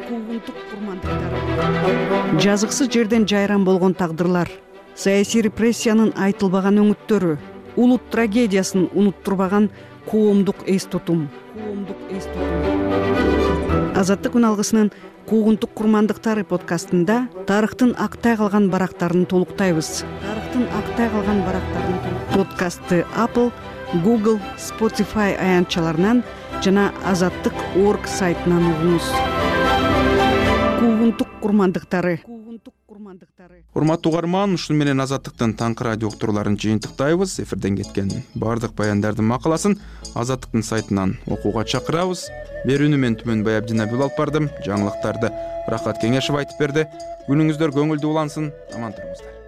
Жазыксыз жерден жайран болгон тагдырлар, саясий репрессиянын айтылбаган өңүттөрү, улут трагедиясын унуттурбаган коомдук эс тутум. Азаттык үн алгысынын Куугунтук курмандыктары подкастында тарыхтын актай калган барактарын толуктайбыз. Подкастты Apple, Google, Spotify аянтчаларынан жана Азаттык.org сайтынан угуңуз. Куугунтук курмандыктары.
Урматтуу угарман, ушуну менен Азаттыктын таңкы радио уктурууларын жыйынтыктайбыз. Эфирден кеткен бардык баяндардын макаласын Азаттыктын сайтынан окууга чакырабыз. Берүүнү мен Түмөнбай Абдинабил алып бардым. Жаңылыктарды Рахат Кеңешев айтып берди. Күнүңүздөр көңүлдүү улансын. Аман туруңуздар.